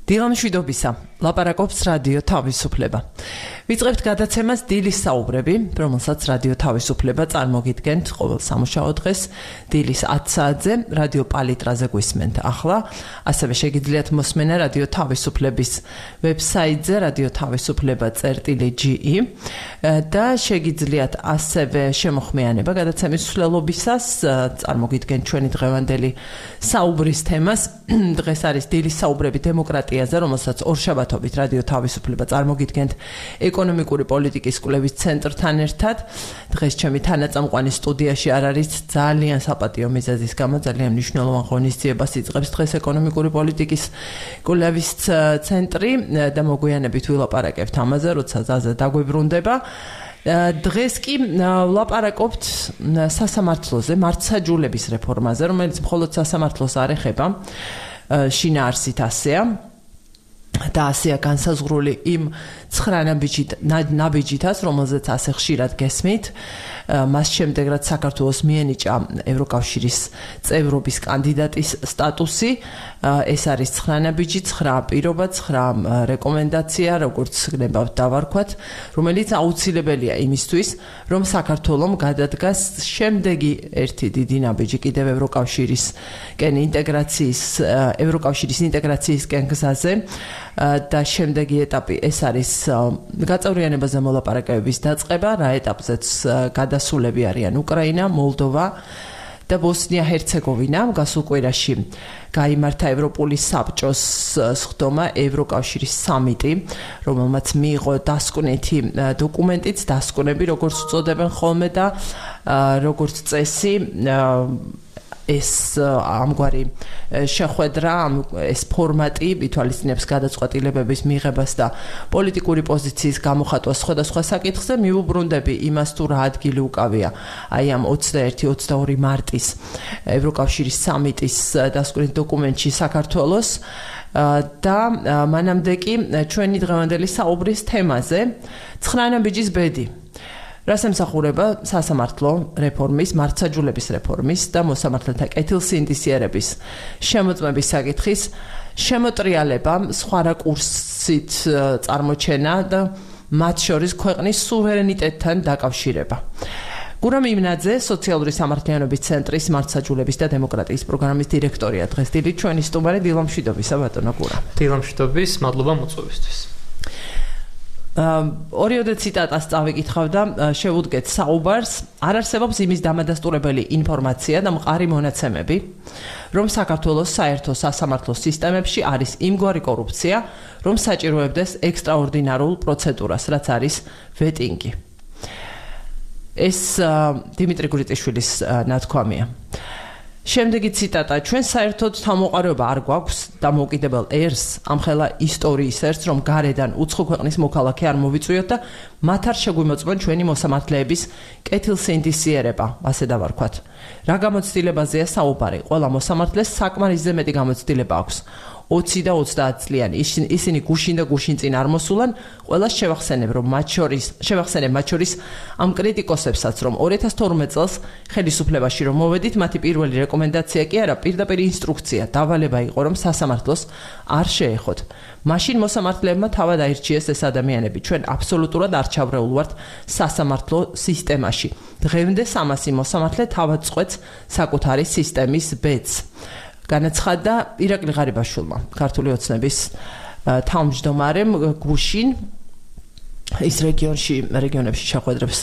დილამშვიდობისა, ლაპარაკობს რადიო თავისუფლება. ვიწყებთ გადაცემას დილის საუბრები, რომელსაც რადიო თავისუფლება წარმოგიდგენთ ყოველ სამუშაო დღეს დილის 10 საათზე რადიო პალიტრაზე გვისმენთ. ახლა ასევე შეგიძლიათ მოსმენა რადიო თავისუფლების ვებსაიტზე radiotavisupleba.ge და შეგიძლიათ ასევე შემოხმიანება გადაცემის მსვლელობისას წარმოგიდგენთ ჩვენი დღევანდელი საუბრის თემას. დღეს არის დილის საუბრები დემოკრატიაზე, რომელსაც ორშაბათობით რადიო თავისუფლება წარმოგიდგენთ ეკონომიკური პოლიტიკის კვლევის ცენტრთან ერთად. დღეს ჩემი თანაწამყვანი სტუდიაში არ არის, ძალიან საპატიო მიზეზის გამო ძალიან მნიშვნელოვან ღონისძიებას იწყებს დღეს ეკონომიკური პოლიტიკის კვლევის ცენტრი და მოგვიანებით ვილაპარაკებთ ამაზე, როცა ზაზა დაგვებრუნდება. დღეს კი ვლაპარაკობთ სასამართლოზე, მართლმსაჯულების რეფორმაზე, რომელიც მხოლოდ სასამართლოს არ ეხება, შინაარსით ასეა. და ასეა განსაზღვრული იმ 9 ნაბიჯითაც, რომელზეც ასე ხშირად გესმით. მას შემდეგ, რაც საქართველოს მიენიჭა ევროკავშირის წევრობის კანდიდატის სტატუსი, ეს არის 9 ნაბიჯი, 9 პირობა, 9 რეკომენდაცია, როგორც გნებავთ დავარქვათ, რომელიც აუცილებელია იმისთვის, რომ საქართველოს გადადგას შემდეგი ერთი დიდი ნაბიჯი კიდევ ევროკავშირისკენ ინტეგრაციისკენ გზაზე. და შემდეგი ეტაპი ეს არის გაწევრიანებაზე მოლაპარაკებების დაწყება, რა ეტაპზეც გადასულები არიან უკრაინა, მოლდოვა და ბოსნია-ჰერცეგოვინა. გასულ კვირაში გაიმართა ევროპული საბჭოს სხდომა ევროკავშირის სამიტი, რომელმაც მიიღო დასკვნითი დოკუმენტიც, დასკვნები როგორც უწოდებენ ხოლმე და როგორც წესი ეს ამგვარი შეხვედრა, ეს ფორმატი ითვალისწინებს გადაწყვეტილებების მიღებას და პოლიტიკური პოზიციის გამოხატვას სხვადასხვა საკითხზე. მიუბრუნდები იმას, თუ რა ადგილი უკავია აი ამ 21-22 მარტის ევროკავშირის სამიტის დასკვნით დოკუმენტში საქართველოს და მანამდე კი ჩვენი დღევანდელი საუბრის თემაზე 9 ნაბიჯის ბედი. რას ემსახურება სასამართლო რეფორმის, მართლმსაჯულების რეფორმის და მოსამართლეთა კეთილსინდისიერების შემოწმების საკითხის შემოტრიალება, სხვა რაკურსით წარმოჩენა და მათ შორის ქვეყნის სუვერენიტეტთან დაკავშირება. გურამ იმნაძე, სოციალური სამართლიანობის ცენტრის მართლმსაჯულების და დემოკრატიის პროგრამის დირექტორია. დღეს დილით ჩვენი სტუმარი. დილამშვიდობისა, ბატონო გურამ. დილამშვიდობის, მადლობა მოწვევისთვის. ორიოდე ციტატას წავიკითხავ და შევუდგეთ საუბარს. არ არსებობს იმის დამადასტურებელი ინფორმაცია და მყარი მონაცემები, რომ საქართველოს საერთო სასამართლო სისტემებში არის იმგვარი კორუფცია, რომ საჭიროებდეს ექსტრაორდინარულ პროცედურას, რაც არის ვეტინგი. ეს დიმიტრი გურიტიშვილის ნათქვამია. შემდეგი ციტატა: ჩვენ საერთოდ თავმოყარეობა არ გვაქვს დამოუკიდებელ ერს, ამხელა ისტორიის ერს, რომ გარედან უცხო ქვეყნის მოქალაქე არ მოვიწვიოთ და მათ არ შეგვიმოწმონ ჩვენი მოსამართლეების კეთილსინდისიერება, ასე დავარქვათ. რა გამოცდილებაზეა საუბარი? ყველა მოსამართლეს საკმარისზე მეტი გამოცდილება აქვს. 20 და 30 წლიანი ისინი გუშინ და გუშინ წინ არ მოსულან. ყველას შევახსენებ მათ შორის ამ კრიტიკოსებსაც, რომ 2012 წელს ხელისუფლებაში რომ მოვედით, მათი პირველი რეკომენდაცია კი არა, პირდაპირ ინსტრუქცია, დავალება იყო, რომ სასამართლოს არ შეეხოთ. მაშინ მოსამართლეებმა თავად აირჩიეს ეს ადამიანები. ჩვენ აბსოლუტურად არ ჩავრეულ ვართ სასამართლო სისტემაში. დღემდე 300 მოსამართლე თავად წყვეტს საკუთარი სისტემის ბედს. განაცხადა ირაკლი ღარიბაშვილმა, ქართული ოცნების თავმჯდომარემ გუშინ. ის რეგიონებში შეხვედრებს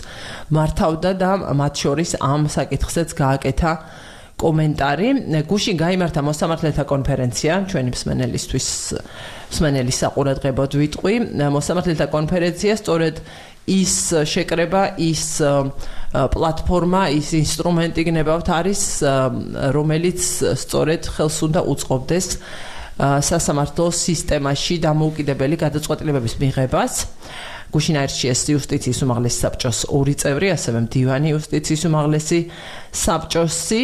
მართავდა და მათ შორის ამ საკითხზეც გააკეთა კომენტარი. გუშინ გაიმართა მოსამართლეთა კონფერენცია, ჩვენი მსმენელის საყურადღებოდ ვიტყვი. მოსამართლეთა კონფერენცია სწორედ ის შეკრება, ის პლატფორმა, ის ინსტრუმენტი გნებავთ არის, რომელიც სწორედ ხელს უნდა უწყობდეს სასამართლო სისტემაში დამოუკიდებელი გადაწყვეტილებების მიღებას. გუშინ აირჩიეს იუსტიციის უმაღლესი საბჭოს 2 წევრი, ასევე მდივანი იუსტიციის უმაღლესი საბჭოსი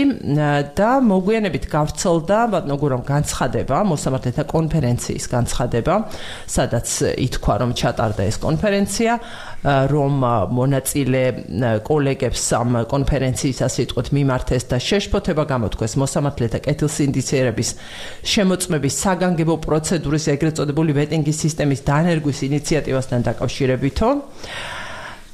და მოგვიანებით გავრცელდა ბატონო გურამ განცხადება, მოსამართლეთა კონფერენციის განცხადება, სადაც ითქვა, რომ ჩატარდა ეს კონფერენცია, რომ მონაწილე კოლეგებს ამ კონფერენციის ასე ვთქვათ მიმართეს და შეშფოთება გამოთქვეს მოსამართლეთა კეთილსინდისიერების შემოწმების საგანგებო პროცედურის ეგრეთ წოდებული ვეტინგის სისტემის დანერგვის ინიციატივასთან დაკავშირებითო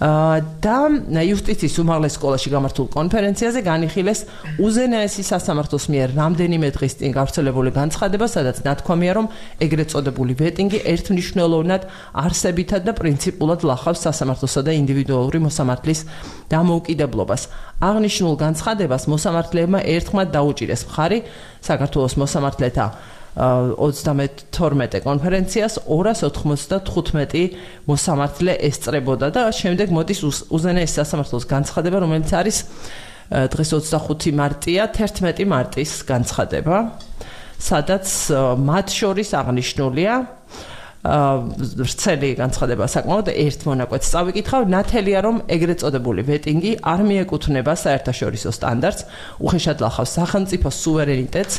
და იუსტიციის უმაღლეს სკოლაში გამართულ კონფერენციაზე განიხილეს უზენაესი სასამართლოს მიერ რამდენიმე დღის წინ გავრცელებული განცხადება, სადაც ნათქვამია, რომ ეგრეთ წოდებული ვეტინგი ერთმნიშვნელოვნად არსებითად და პრინციპულად ლახავს სასამართლოსა და ინდივიდუალური მოსამართლის დამოუკიდებლობას. აღნიშნულ განცხადებას მოსამართლეებმა ერთხმად დაუჭირეს მხარი საქართველოს მოსამართლეთა 32 კონფერენციას 295 მოსამართლე ესწრებოდა და შემდეგ მოდის უზენაესი სასამართლოს განცხადება, რომელიც არის დღეს 25 მარტია, 11 მარტის განცხადება, სადაც მათ შორის აღნიშნულია ვრცელი განცხადება საკმაოდ ერთ მონაკვეთს წავიკითხავ, ნათელია, რომ ეგრეთ წოდებული ვეტინგი არ მიეკუთვნება საერთაშორისო სტანდარტს, უხეშად ლახავს სახელმწიფოს სუვერენიტეტს,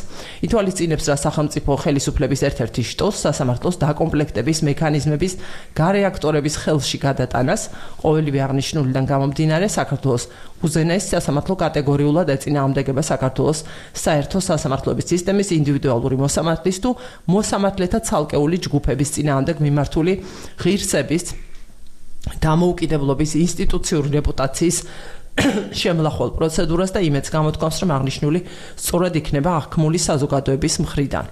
ითვალისწინებს რა სახელმწიფო ხელისუფლების ერთ-ერთი შტოს სასამართლოს დაკომპლექტების მექანიზმების გარეაქტორების ხელში გადატანას, ყოველივე აღნიშნულიდან გამომდინარე საქართველოს უზენაეს სასამართლო კატეგორიულად ეწინააღმდეგება საქართველოს საერთო სასამართლოების სისტემის ინდივიდუალური მოსამართლის თუ მოსამართლეთა ცალკეული ჯგუფების წინააღმდეგ მიმართული ღირსების დამოუკიდებლობის ინსტიტუციური რეპუტაციის შემლახვალ პროცედურას და იმედს გამოთქვამს, რომ აღნიშნული სწორად იქნება აღქმული საზოგადოების მხრიდან.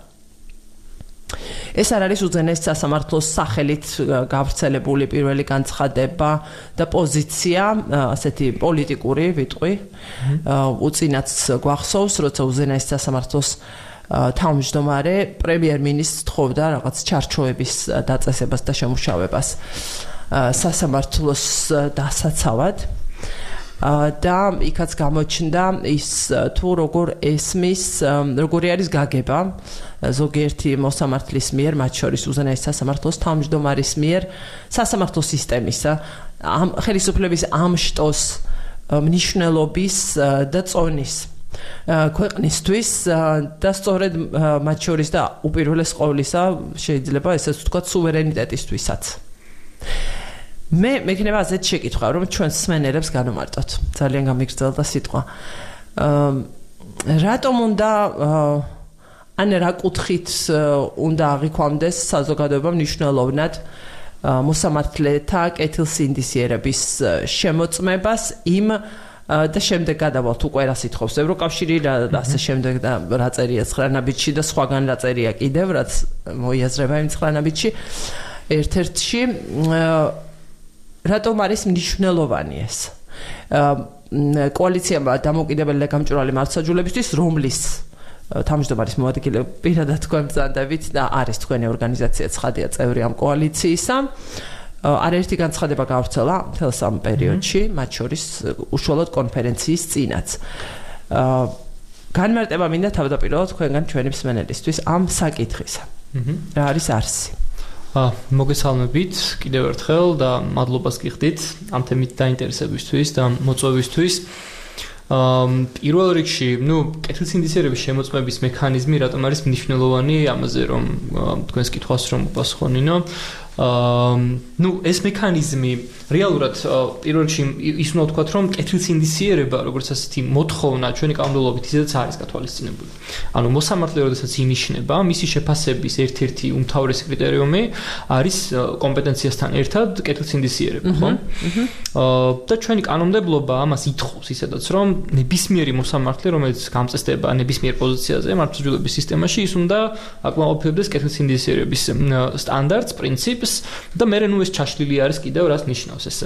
ეს არ არის უზენაეს სასამართლოს სახელით გავრცელებული პირველი განცხადება და პოზიცია, ასეთი პოლიტიკური ვიტყვი. უწინაც გვახსოვს, როცა უზენაეს სასამართლოს თავმჯდომარე პრემიერ-მინისტრს თხოვდა რაღაც ჩარჩოების დაწესებას და შემუშავებას სასამართლოს დასაცავად. და იქაც გამოჩნდა ის თუ როგორ ესმის, როგორი არის გაგება ზოგიერთი მოსამართლის მიერ, მათ შორის უზენაეს სასამართლოს თავმჯდომარის მიერ სასამართლო სისტემისა, ამ ხელისუფლების ამ შტოს მნიშვნელობის და წონის ქვეყნისთვის და სწორედ მათ შორის და უპირველეს ყოვლისა შეიძლება ესეც ვთქვათ სუვერენიტეტისთვისაც. მე მექნება ასეთ შეკითხვა, რომ ჩვენ სმენელებს განვმარტოთ. ძალიან გამიგრძელდა სიტყვა. რატომ უნდა ან რა კუთხით უნდა აღიქვამდეს საზოგადოება მნიშვნელოვნად მოსამართლეთა კეთილსინდისიერების შემოწმებას იმ და შემდეგ გადავალთ უკვე რა სიტყვებს ევროკავშირი და ასე შემდეგ და რა წერია 9 ნაბიჯში და სხვაგან რა წერია კიდევ რაც მოიაზრება იმ 9 ნაბიჯში ერთ-ერთში რატომ არის მნიშვნელოვანი ეს კოალიციამ დამოუკიდებელი და გამჭვირვალე მართლმსაჯულებისთვის რომლის თავმჯდომარის მოადგილე პირადად თქვენ ბრძანდებით და არის თქვენი ორგანიზაცია ცხადია წევრი ამ კოალიციისა არაერთი განცხადება გავრცელა მთელს ამ პერიოდში მათ შორის უშუალოდ კონფერენციის წინაც განმარტება მინდა თავდაპირველად თქვენგან ჩვენი მსმენელისთვის ამ საკითხისა რა არის არსი მოგესალმებით კიდევ ერთხელ და მადლობას გიხდით ამ თემით დაინტერესებისთვის და მოწვევისთვის პირველ რიგში, კეთილსინდისიერების შემოწმების მექანიზმი რატომ არის მნიშვნელოვანი ამაზე რომ თქვენს კითხვას რომ უპასუხონინო ეს მექანიზმი რეალურად პირველ რიგში ის უნდა ვთქვათ რომ კეთილსინდისიერება როგორც ასეთი მოთხოვნა ჩვენი კანონმდებლობით ისედაც არის გათვალისწინებული. ანუ მოსამართლე როდესაც ინიშნება, მისი შეფასების ერთ-ერთი უმთავრესი კრიტერიუმი არის კომპეტენციასთან ერთად კეთილსინდისიერება, ხო? და ჩვენი კანონმდებლობა ამას ითხოვს ისედაც რომ ნებისმიერი მოსამართლე, რომელიც გამწესდება ნებისმიერ პოზიციაზე მართლმსაჯულების სისტემაში, ის უნდა აკმაყოფილებდეს კეთილსინდისიერების სტანდარტს, პრინციპს და მე ეს ჩაშლილი არის კიდევ რაც ნიშნავს ეს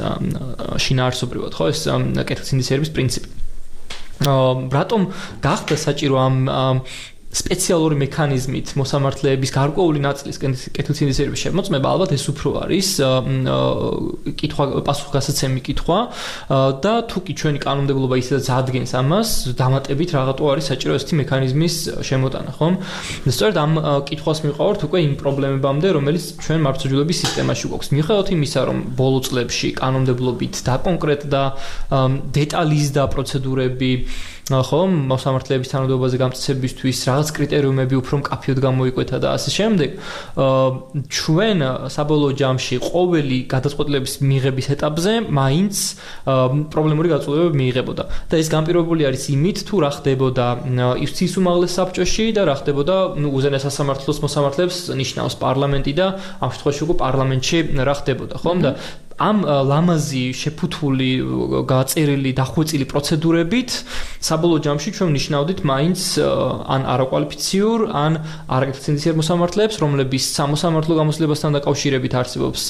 შინაარსობრივად ხო ეს კეთილსინდისიერების პრინციპი. რატომ გახდა საჭირო ამ სპეციალური მექანიზმით მოსამართლეების გარკვეული ნაწილის კეთილსინდისიერების შემოწმება ალბათ ეს უფრო არის კითხვა პასუხგასაცემი კითხვა და თუკი ჩვენი კანონმდებლობა ისედაც ადგენს ამას დამატებით რაღაცა არის საჭირო ესეთი მექანიზმის შემოტანა ხომ სწორედ ამ კითხვას მივყავართ უკვე იმ პრობლემებამდე რომელიც ჩვენ მართლმსაჯულების სისტემაში გვაქვს მიუხედავად იმისა რომ ბოლო წლებში კანონმდებლობით დაკონკრეტდა დეტალიზდა პროცედურები ხომ მოსამართლეების თანამდებობაზე გამწესებისთვის რაღაც კრიტერიუმები უფრო მკაფიოდ გამოიკვეთა და ასე შემდეგ ჩვენ საბოლოო ჯამში ყოველი გადაწყვეტილების მიღების ეტაპზე მაინც პრობლემური გადაწყვეტილებები მიიღებოდა და ეს განპირობებული არის იმით თუ რა ხდებოდა იუსტიციის უმაღლეს საბჭოში და რა ხდებოდა უზენაეს სასამართლოს მოსამართლეებს ნიშნავს პარლამენტი და ამ შემთხვევაში უკვე პარლამენტში რა ხდებოდა ხომ და ამ ლამაზი შეფუთული გაწერილი დახვეწილი პროცედურებით საბოლოო ჯამში ჩვენ ნიშნავდით მაინც ან არაკვალიფიციურ ან არაკეთილსინდისიერ მოსამართლეებს რომლების სამოსამართლო გამოცდილებასთან დაკავშირებით არსებობს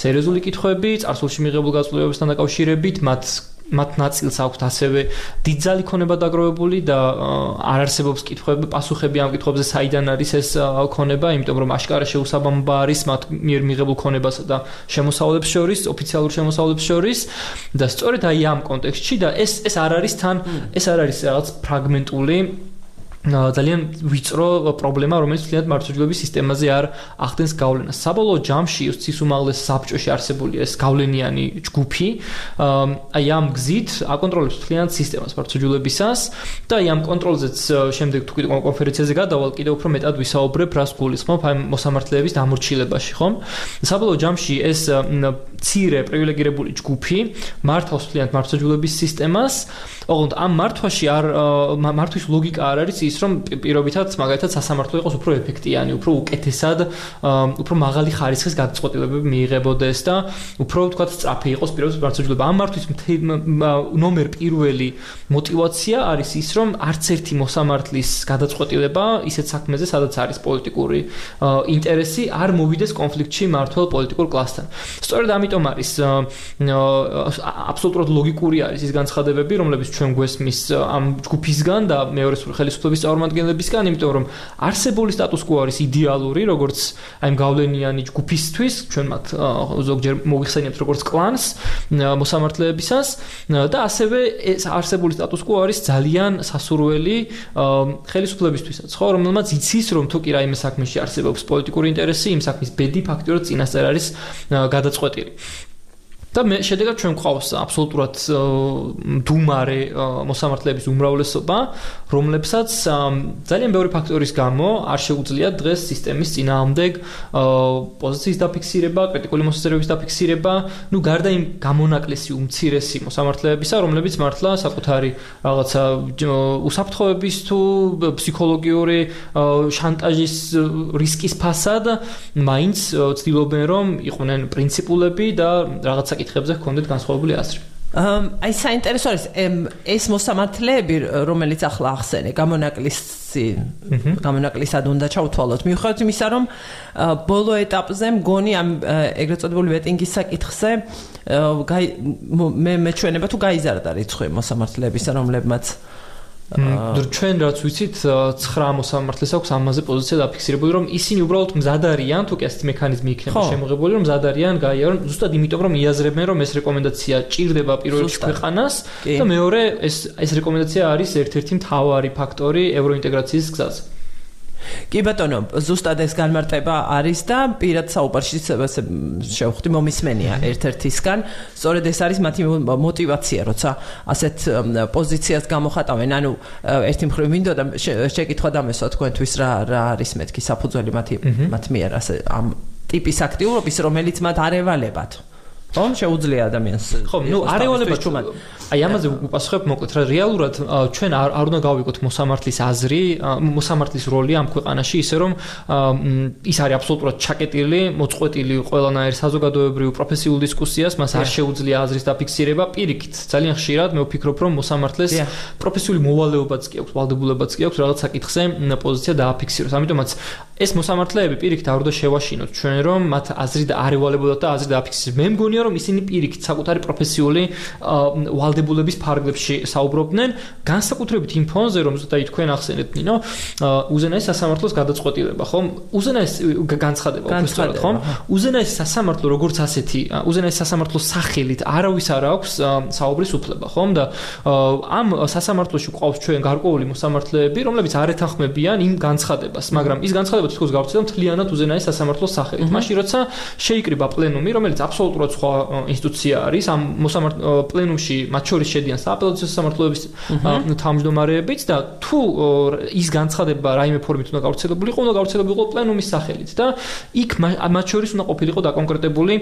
სერიოზული კითხვები წარსულში მიღებულ გადაწყვეტილებებთან დაკავშირებით მათ ნაწილს აქვთ ასევე დიდძალი ქონება დაგროვებული და არ არსებობს კითხვები პასუხები ამ კითხვებზე საიდან არის ეს ქონება იმიტომ რომ აშკარა შეუსაბამობა არის მათ მიერ მიღებულ ქონებასა და შემოსავლებს შორის ოფიციალურ შემოსავლებს შორის და სწორედ აი ამ კონტექსტში და ეს არ არის რაღაც ფრაგმენტული ძალიან ვიწრო პრობლემა, რომელიც თლიანად მართლმსაჯულების სისტემაზე არ ახდენს გავლენას. საბოლოო ჯამში იუსტიციის უმაღლეს საბჭოში არსებული ეს გავლენიანი ჯგუფი, აი ამ გზით აკონტროლებს თლიანად სისტემას მართლმსაჯულებისას და აი ამ კონტროლზეც შემდეგ თუ კიდევ კონფერენციაზე გადავალ, კიდევ უფრო მეტად ვისაუბრებ, რას გულისხმობ აი მოსამართლეების დამორჩილებაში, ხომ? საბოლოო ჯამში ეს მცირე პრივილეგირებული ჯგუფი მართავს თლიანად მართლმსაჯულების სისტემას, ოღონდ ამ მართვის ლოგიკა არ არის ის რომ პირობითად მაგალითად სასამართლო იყოს უფრო ეფექტიანი, უფრო უკეთესად, უფრო მაღალი ხარისხის გადაწყვეტილებები მიიღებოდეს და უფრო ვთქვათ სწრაფი იყოს პირობითად მართლმსაჯულება. ამ მართვის ნომერ პირველი мотиваცია არის ის რომ არც ერთი მოსამართლის გადაწყვეტილება ისეთ საქმეზე, სადაც არის პოლიტიკური ინტერესი, არ მოვიდეს კონფლიქტში მართლ პოლიტიკურ კლასთან. სწორედ ამიტომ არის აბსოლუტურად ლოგიკური არის ის განცხადებები, რომლებიც ჩვენ გვესმის ამ ჯგუფისგან და მეორე ხელისუფლების წარმომადგენლებისგან, იმიტომ რომ არსებული სტატუს კვო არის იდეალური, როგორც აი ამ გავლენიანი ჯგუფისთვის, ჩვენ მათ ზოგჯერ მოიხსენიებთ როგორც კლანს მოსამართლეებისას და ასევე ეს არსებული სტატუს კვო არის ძალიან სასურველი ხელისუფლებისთვისაც, ხო, რომელმაც იცის რომ თუ კი რაიმე საქმეში არსებობს პოლიტიკური ინტერესი, იმ საქმის ბედი ფაქტიურად წინასწარ არის გადაწყვეტილი. და შედეგად ჩვენ გვყავს აბსოლუტურად დუმარე მოსამართლეების უმრავლესობა, რომლებსაც ძალიან ბევრი ფაქტორის გამო არ შეუძლიათ დღეს სისტემის წინააღმდეგ პოზიციის დაფიქსირება, კრიტიკული მოსაზრებების დაფიქსირება, ну გარდა იმ გამონაკლისი უმცირესი მოსამართლეებისა, რომლებიც მართლა საკუთარი რაღაცა უსაფრთხოების თუ ფსიქოლოგიური შანტაჟის რისკის ფასად მაინც ცდილობენ რომ იყვნენ პრინციპულები და რაღაცა კითხებზე ჰქონდეთ განსხვავებული აზრი. აი საინტერესო არის ეს მოსამართლეები, რომელიც ახლა ახსენე, გამონაკლისად უნდა ჩავთვალოთ. მიუხედავად იმისა, რომ ბოლო ეტაპზე მგონი ამ ეგრეთ წოდებული ვეტინგის საკითხზე მე მეჩვენება თუ გაიზარდა რიცხვი მოსამართლეებისა, რომლებმაც ჩვენ რაც ვიცით 9 მოსამართლეს აქვს ამაზე პოზიცია დაფიქსირებული, რომ ისინი უბრალოდ მზად არიან, თუ კი ასეთი მექანიზმი იქნება შემოღებული, რომ მზად არიან გაიარონ, ზუსტად იმიტომ რომ იაზრებენ, რომ ეს რეკომენდაცია ჭირდება პირველ რიგში ქვეყანას და მეორე ეს რეკომენდაცია არის ერთ-ერთი მთავარი ფაქტორი ევროინტეგრაციის გზაზე. კი ბატონო, ზუსტად ეს განმარტება არის და პირად საუბარში შევხვდი მომისმენია ერთ-ერთისგან. სწორედ ეს არის მათი мотиваცია, როცა ასეთ პოზიციას გამოხატავენ. ანუ ერთი მხრივ მინდოდა შეკითხვა დამესვა თქვენთვის რა არის მეთქი საფუძველი მათ მიერ ასე ამ ტიპის აქტიურობის, რომელიც მათ არ ევალებათ. ხომ შეუძლია ადამიანს. ხო, ნუ არ ევალებათ ჩვენ. აი ამაზე ვუპასუხებ მოკლედ, რა რეალურად ჩვენ არ უნდა გავიგოთ მოსამართლის აზრი, მოსამართლის როლი ამ ქვეყანაში, ისე რომ ის არის აბსოლუტურად ჩაკეტილი, მოწყვეტილი ყველანაირ საზოგადოებრივ პროფესიულ დისკუსიას, მას არ შეუძლია აზრის დაფიქსირება. პირიქით, ძალიან ხშირად მე ვფიქრობ, რომ მოსამართლეს პროფესიული მოვალეობაც კი აქვს, ვალდებულებაც კი აქვს რაღაც საკითხზე პოზიცია დააფიქსიროს. ამიტომაც ეს მოსამართლეები პირიქით არ უნდა შევაშინოთ ჩვენ, რომ მათ აზრი და არ ევალებოდათ და აზრი დააფიქსიროს. მე მგონია რომ ისინი პირიქით საკუთარი პროფესიული ვალდებულების ფარგლებში საუბრობდნენ, განსაკუთრებით იმ ფონზე, რომ ზუსტად თქვენ ახსენეთ ნინო, უზენაეს სასამართლოს გადაწყვეტილება, ხომ? უზენაეს განცხადება, უფრო სწორად, ხომ? უზენაეს სასამართლო როგორც ასეთი, უზენაეს სასამართლოს სახელით არავის არ აქვს საუბრის უფლება, ხომ? და ამ სასამართლოში ყავს ჩვენ გარკვეული მოსამართლეები, რომლებიც არ ეთანხმებიან იმ განცხადებას, მაგრამ ის განცხადება თითქოს გავრცელდა მთლიანად უზენაეს სასამართლოს სახელით. მაშინ როცა შეიკრიბა პლენუმი, რომელიც აბსოლუტურად სხვა ინსტიტუცია არის, ამ პლენუმში მათ შორის შედიან სააპელაციო სასამართლოების თავმჯდომარეებიც და თუ ის განცხადება რაიმე ფორმით უნდა გავრცელებულიყო, უნდა გავრცელებულიყო პლენუმის სახელით და იქ მათ შორის უნდა ყოფილიყო დაკონკრეტებული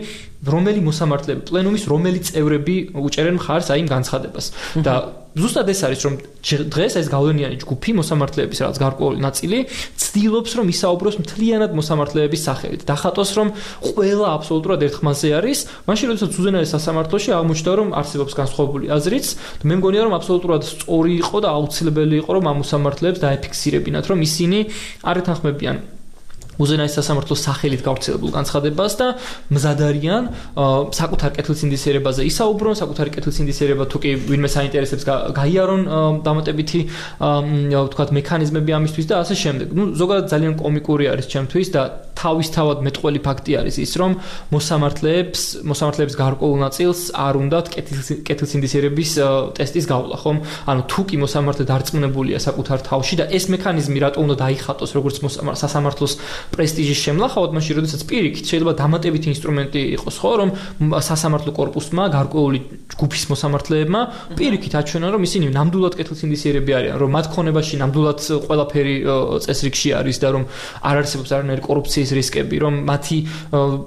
რომელი მოსამართლეები, პლენუმის რომელი წევრები უჭერენ მხარს აი იმ განცხადებას. და ზუსტად ეს არის, რომ დღეს ეს გავლენიანი ჯგუფი მოსამართლეების რაღაც გარკვეული ნაწილი ცდილობს, რომ ისაუბროს მთლიანად მოსამართლეების სახელით. დახატოს, რომ ყველა აბსოლუტურად ერთხმაზე არის, მაშინ როდესაც უზენაეს სასამართლოში აღმოჩნდა, რომ არსებობს განსხვავებული აზრიც, მე მგონია, რომ აბსოლუტურად სწორი იყო და აუცილებელი იყო, რომ ამ მოსამართლეებს დაეფიქსირებინათ, რომ ისინი არ ეთანხმებიან უზენაეს სასამართლოს სახელით გავრცელებულ განცხადებას და მზად არიან საკუთარ კეთილსინდისიერებაზე ისაუბრონ, საკუთარი კეთილსინდისიერება თუ კი ვინმე საინტერესებს გაიარონ დამატებითი ვთქვათ მექანიზმები ამისთვის და ასე შემდეგ. ნუ ზოგადად ძალიან კომიკური არის ჩემთვის და თავისთავად მეტყველი ფაქტი არის ის, რომ მოსამართლეებს გარკვეულ ნაწილს არ უნდათ კეთილსინდისიერების ტესტის გავლა, ხომ? ანუ თუ კი მოსამართლე დარწმუნებულია საკუთარ თავში და ეს მექანიზმი რატო უნდა დაიხატოს როგორც სასამართლოს პრესტიჟის შემლახავად, მაშინ როდესაც პირიქით შეიძლება დამატებითი ინსტრუმენტი იყოს, ხო, რომ სასამართლო კორპუსმა, გარკვეული ჯგუფის მოსამართლეებმა პირიქით აჩვენონ, რომ ისინი ნამდვილად კეთილსინდისიერები არიან, რომ მათ ქონებაში ნამდვილად ყველაფერი წესრიგში არის და რომ არ არსებობს არანაირი კორუფციის რისკები, რომ მათი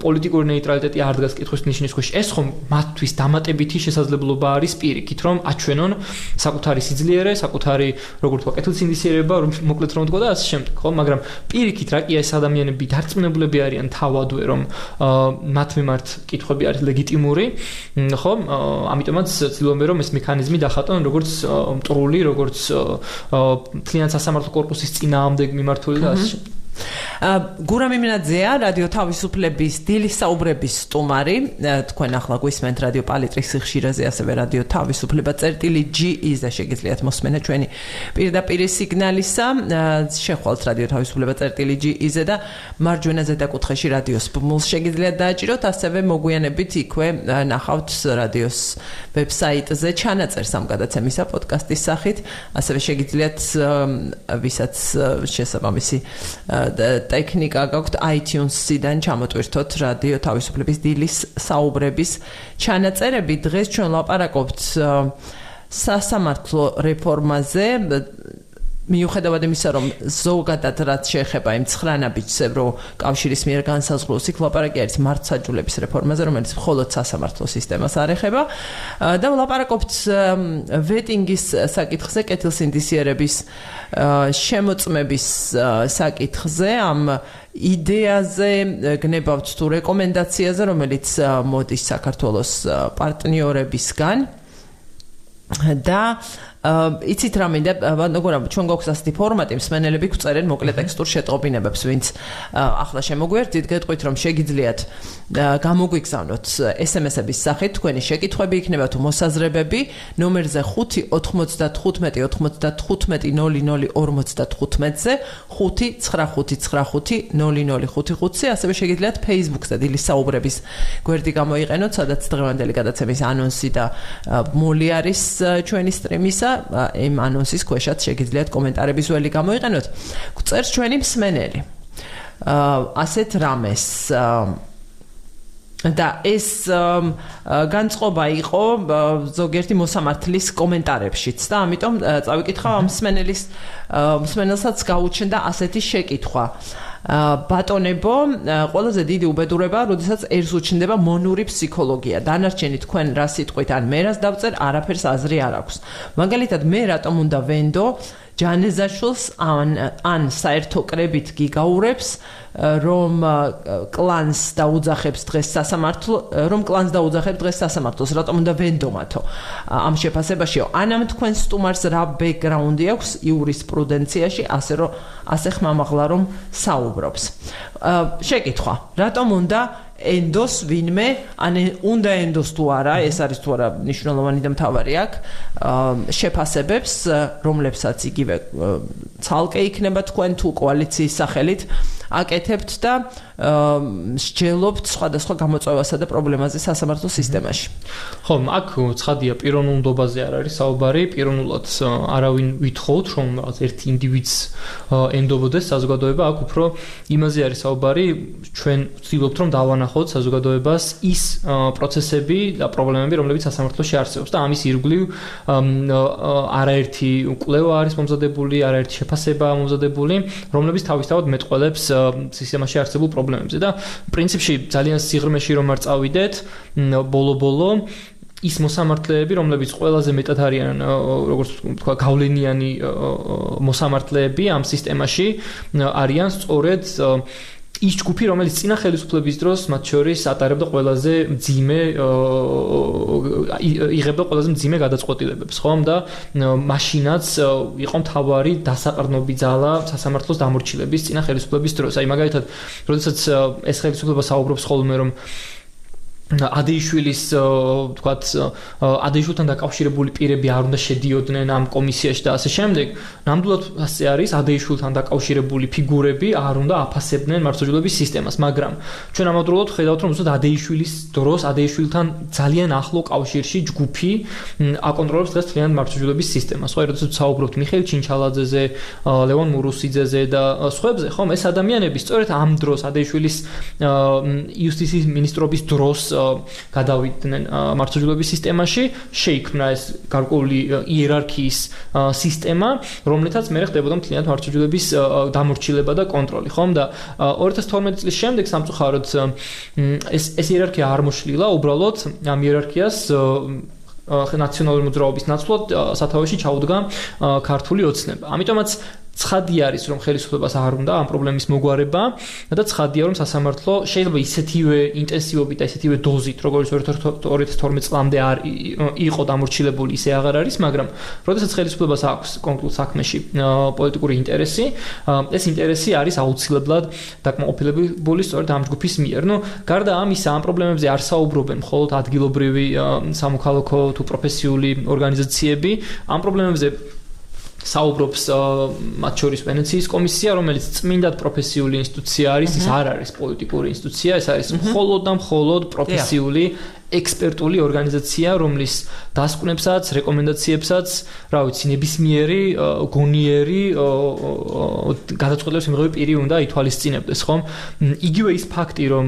პოლიტიკური ნეიტრალიტეტი არ დგას კითხვის ნიშნის ქვეშ. ეს ხომ მათთვის დამატებითი შესაძლებლობა არის პირიქით, რომ აჩვენონ საკუთარი სიძლიერე, საკუთარი როგორ თქვა კეთილსინდისიერება, რომ მოკლედ რომ თქვა და ასე შემდეგ, ხო, მაგრამ პირიქით რა კი ეს ადამიანები დარწმუნებულები არიან თავადვე, რომ მათ მიმართ კითხვები არის ლეგიტიმური, ხო? ამიტომაც ცდილობენ, რომ ეს მექანიზმი დახატონ როგორც მტრული, როგორც მთლიან სასამართლო კორპუსის წინააღმდეგ მიმართული და ასე შემდეგ. გურამ იმინაძეა, რადიო თავისუფლების დილის საუბრების სტუმარი. თქვენ ახლა გვისმენთ რადიო პალიტრის სიხშირეზე, ასევე რადიო თავისუფლება წერტილი.ge-ზე შეგიძლიათ მოსმენა ჩვენი პირდაპირ სიგნალისა. შეხვალთ რადიო თავისუფლება წერტილი.ge-ზე და მარჯვენა ზედაკუთხეში რადიოს ბმულს შეგიძლიათ დააჭიროთ, ასევე მოგვიანებით იქვე ნახავთ რადიოს ვებსაიტზე ჩანაწერს ამ გადაცემისა პოდკასტის სახით, ასევე შეგიძლიათ ვისაც შესაბამისი ტექნიკა გაქვთ iTunes-იდან ჩამოტვირთოთ რადიო თავისუფლების დილის საუბრების ჩანაწერები. დღეს ჩვენ ვლაპარაკობთ სასამართლო რეფორმაზე, მიუხედავად იმისა, რომ ზოგადად რაც შეეხება იმ 9 ნაბიჯს ევროკავშირის მიერ განსაზღვრულ იქ ლაპარაკი არის მართლმსაჯულების რეფორმაზე, რომელიც მხოლოდ სასამართლო სისტემას არ ეხება და ვლაპარაკობთ ვეტინგის საკითხზე, კეთილსინდისიერების შემოწმების საკითხზე, ამ იდეაზე, გნებავთ თუ რეკომენდაციაზე, რომელიც მოდის საქართველოს პარტნიორებისგან და იცით რა მინდა, ჩვენ გვაქვს ასეთი ფორმატი, მსმენელები გვწერენ მოკლე ტექსტურ შეტყობინებებს, ვინც ახლა შემოგვიერთდით, გეტყვით, რომ შეგიძლიათ გამოგვიგზავნოთ SMS-ების სახით თქვენი შეკითხვები, იქნება თუ მოსაზრებები, ნომერზე 5-95-95-00-55-00-55-ზე, 5-95-95-00-55-ზე, ასევე შეგიძლიათ Facebook-ზე დილის საუბრების გვერდი გამოიყენოთ, სადაც დღევანდელი გადაცემის ანონსი და მოლი არის ჩვენი სტრიმისა. იმ ანონსის ქვეშაც შეგიძლიათ კომენტარების ველი გამოიყენოთ. გვწერს ჩვენი მსმენელი ასეთ რამეს და ეს განწყობა იყო ზოგიერთი მოსამართლის კომენტარებშიც და ამიტომ წავიკითხავ ამ მსმენელსაც გაუჩნდა ასეთი შეკითხვა. ბატონებო, ყველაზე დიდი უბედურება, როდესაც ერთს უჩნდება მონური ფსიქოლოგია. დანარჩენი თქვენ რა სიტყვით ან მე რას დავწერ, არაფერს აზრი არ აქვს. მაგალითად, მე რატომ უნდა ვენდო ჯანეზაშვილს ან საერთო კრებით გიგაურებს, რომ კლანს დაუძახებს დღეს სასამართლოს, რატომ უნდა ვენდომათო ამ შეფასებაშიო. ანამ თქვენ სტუმარს რა ბექგრაუნდი აქვს იურისპრუდენციაში, ასე ხმამაღლა რომ საუბრობს. შეკითხვა, რატომ უნდა ენდოს ვინმე, ან უნდა ენდოს თუ არა, ეს არის თუ არა მნიშვნელოვანი და მთავარი აქ, შეფასებებს, რომლებსაც იგივე ცალკე იქნება თქვენ თუ კოალიციის სახელით აკეთებთ და სჯელობთ სხვადასხვა გამოწვევასა და პრობლემაზე სასამართლო სისტემაში. ხო, აქ ცხადია პიროვნულ ნდობაზე არ არის საუბარი, პიროვნულად არავინ ვითხოვთ, რომ რაღაც ერთი ინდივიდს ენდობოდეს საზოგადოება, აქ უფრო იმაზე არის საუბარი, ჩვენ ვცდილობთ რომ დავანახოთ საზოგადოებას ის პროცესები და პრობლემები, რომლებიც სასამართლოში არსებობს და ამის ირგვლივ არაერთი კვლევა არის მომზადებული, არაერთი შეფასება მომზადებული, რომლებიც თავისთავად მეტყველებს სისტემაში არსებულ პრობლემებზე და პრინციპში ძალიან სიღრმეში რომ არ წავიდეთ, ბოლო-ბოლო ის მოსამართლეები, რომლებიც ყველაზე მეტად არიან, როგორც თქვა, გავლენიანი მოსამართლეები ამ სისტემაში, არიან სწორედ ის ჯგუფი, რომელიც წინა ხელისუფლების დროს მათ შორის ატარებდა ყველაზე მძიმე იღებდა ყველაზე მძიმე გადაწყვეტილებებს, ხომ და მაშინაც იყო მთავარი დასაყრდნობი ძალა სასამართლოს დამორჩილების წინა ხელისუფლების დროს. აი მაგალითად, როდესაც ეს ხელისუფლება საუბრობს ხოლმე რომ ადეიშვილის თქვათ ადეიშვილთან დაკავშირებული პირები არ უნდა შედიოდნენ ამ კომისიაში და ასე შემდეგ. ნამდვილად ასე არის, ადეიშვილთან დაკავშირებული ფიგურები არ უნდა აფასებდნენ მართლმსაჯულების სისტემას, მაგრამ ჩვენ ამავდროულად ხედავთ, რომ ზუსტად ადეიშვილის დროს ადეიშვილთან ძალიან ახლო კავშირში ჯგუფი აკონტროლებს დღეს მთლიან მართლმსაჯულების სისტემას. ხო, როდესაც საუბრობთ მიხეილ ჩინჩალაძეზე, ლევონ მურუსიძეზე და სხვებზე, ხომ, ეს ადამიანები სწორედ ამ დროს ადეიშვილის იუსტიციის მინისტრობის დროს გადავიდნენ მართლმსაჯულების სისტემაში, შეიქმნა ეს გარკვეული იერარქიის სისტემა, რომლითაც მე ხდებოდა მთლიანად მართლმსაჯულების დამორჩილება და კონტროლი, ხომ და 2012 წლის შემდეგ სამწუხაროდ ეს იერარქია არ მოშლილა, უბრალოდ ამ იერარქიას ნაციონალური მოძრაობის ნაცვლად სათავეში ჩაუდგა ქართული ოცნება. ამიტომაც ცხადი არის, რომ ხელისუფლებას არ უნდა ამ პრობლემის მოგვარება და ცხადია, რომ სასამართლო შეიძლება ისეთივე ინტენსივობით და ისეთივე დოზით, როგორც 2012 წლამდე არ იყო დამორჩილებული, ისე აღარ არის, მაგრამ როდესაც ხელისუფლებას აქვს კონკრეტულ საქმეში პოლიტიკური ინტერესი, ეს ინტერესი არის აუცილებლად დაკმაყოფილებული სწორედ ამ ჯგუფის მიერ. ნუ, გარდა ამისა, ამ პრობლემებზე არ საუბრობენ მხოლოდ ადგილობრივი სამოქალაქო თუ პროფესიული ორგანიზაციები, ამ პრობლემებზე საუბრობს მათ შორის ვენეციის კომისია, რომელიც წმინდად პროფესიული ინსტიტუცია არის, ის არ არის პოლიტიკური ინსტიტუცია, ეს არის მხოლოდ და მხოლოდ პროფესიული ექსპერტული ორგანიზაცია, რომლის დასკვნებსაც, რეკომენდაციებსაც, რა ვიცი, ნებისმიერი გონიერი გადაწყვეტილების მიღები პირი უნდა ითვალისწინებდეს, ხომ? იგივე ის ფაქტი, რომ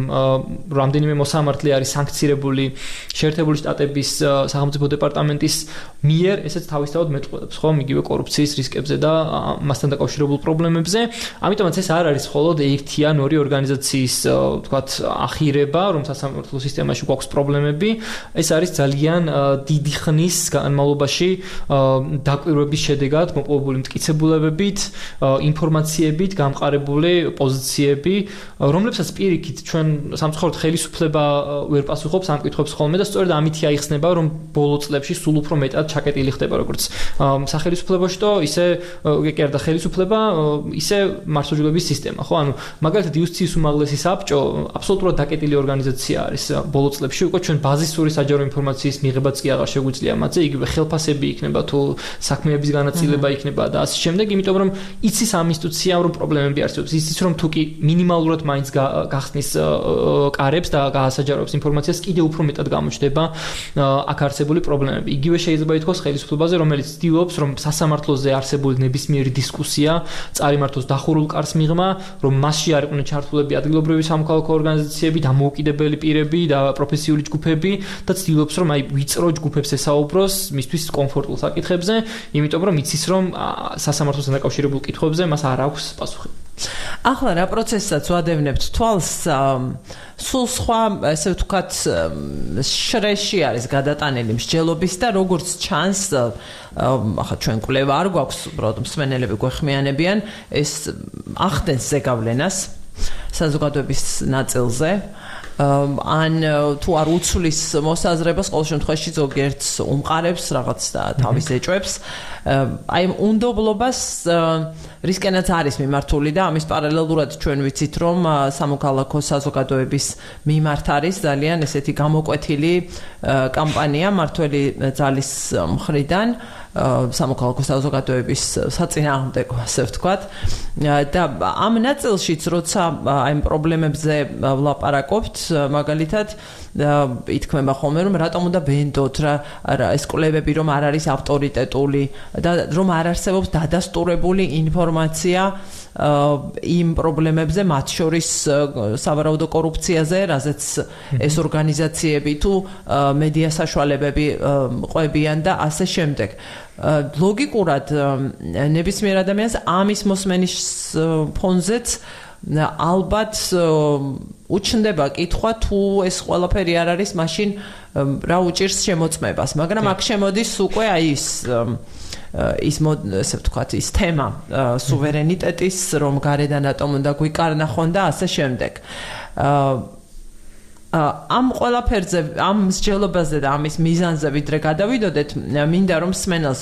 რამდენიმე მოსამართლე არის სანქცირებული შეერთებული შტატების სახელმწიფო დეპარტამენტის მიერ, ესეც თავისთავად მეტყველებს, ხომ? იგივე კორუფციის რისკებზე და მასთან დაკავშირებულ პრობლემებზე. ამიტომაც ეს არ არის მხოლოდ ერთი ან ორი ორგანიზაციის, ვთქვათ, ახირება, რომ სასამართლო სისტემაში გვაქვს პრობლემები. ეს არის ძალიან დიდი ხნის განმავლობაში დაკვირვების შედეგად მოპოვებული მტკიცებულებებით, ინფორმაციებით გამყარებული პოზიციები, რომლებსაც პირიქით ჩვენ სამწუხაროდ ხელისუფლება ვერ პასუხობს ამ კითხვებს ხოლმე და სწორედ ამითი აიხსნება, რომ ბოლო წლებში სულ უფრო მეტად ჩაკეტილი ხდება როგორც სახელისუფლებაშტო, ისე კერდა ხელისუფლება, ისე მართლმსაჯულების სისტემა, ხო? ანუ მაგალითად იუსტიციის უმაღლესი საბჭო აბსოლუტურად დაკეტილი ორგანიზაცია არის ბოლო წლებში, უკვე ჩვენ ბაზისური საჯარო ინფორმაციის მიღებაც კი აღარ შეგვიძლია მათზე, იგივე ხელფასები იქნება თუ საქმეების განაწილება იქნება და ასე შემდეგ, იმიტომ რომ იცის ამ ინსტიტუციამ რომ პრობლემები არსებობს, იცის რომ თუ კი მინიმალურად მაინც გახსნის კარებს და გაასაჯაროებს ინფორმაციას, კიდევ უფრო მეტად გამოჩნდება აქ არსებული პრობლემები. იგივე შეიძლება ითქვას ხელისუფლებაზე, რომელიც ცდილობს რომ სასამართლოზე არსებული ნებისმიერი დისკუსია წარიმართოს დახურულ კარს მიღმა, რომ მასში არ იყვნენ ჩართულები ადგილობრივი სამოქალაქო ორგანიზაციები, დამოუკიდებელი პირები და პროფესიული ჯგუფები და ცდილობს რომ აი ვიწრო ჯგუფებს ესაუბროს მისთვის კომფორტულ საკითხებზე, იმიტომ რომ იცის რომ სასამართლოსთან დაკავშირებულ კითხვებზე მას არ აქვს პასუხი. ახლა რა პროცესსაც ვადევნებთ თვალს, სულ სხვა, ესე ვთქვათ, შრეში არის გადატანილი მსჯელობის და როგორც ჩანს, ახლა ჩვენ კვლევა არ გვაქვს, უბრალოდ მსმენელები გვეხმიანებიან, ეს ახდენს ზეგავლენას საზოგადოების ნაწილზე. ან თუ არ უცვლის მოსაზრებას ყოველ შემთხვევაში ზოგიერთს უმყარებს რაღაც და თავის ეჭვებს აი უნდობლობას რისკენაც არის მიმართული და ამის პარალელურად ჩვენ ვიცით რომ სამოქალაქო საზოგადოების მიმართ არის ძალიან ესეთი გამოკვეთილი კამპანია მართველი ძალის მხრიდან სამოქალაქო საზოგადოების საწინააღმდეგო ასე ვთქვათ და ამ ნაწილშიც როცა აი პრობლემებზე ვლაპარაკობთ მაგალითად ითქმება ხოლმე რომ რატომ უნდა ვენდოთ რა ეს კვლევები რომ არ არის ავტორიტეტული და რომ არ არსებობს დადასტურებული ინფორმაცია იმ პრობლემებზე მათ შორის სავარაუდო კორუფციაზე რაზეც ეს ორგანიზაციები თუ მედია საშუალებები ყვებიან და ასე შემდეგ ლოგიკურად ნებისმიერ ადამიანს ამის მოსმენის ფონზეც ალბათ უჩნდება კითხვა თუ ეს ყველაფერი არ არის მაშინ რა უჭირს შემოწმებას მაგრამ აქ შემოდის უკვე აი ის ესე ვთქვათ ის თემა სუვერენიტეტის რომ გარედან რატომ უნდა გვიკარნახონ და ასე შემდეგ ამ ყველაფერზე ამ მსჯელობაზე და ამის მიზანზე ვიდრე გადავიდოდეთ მინდა რომ სმენელს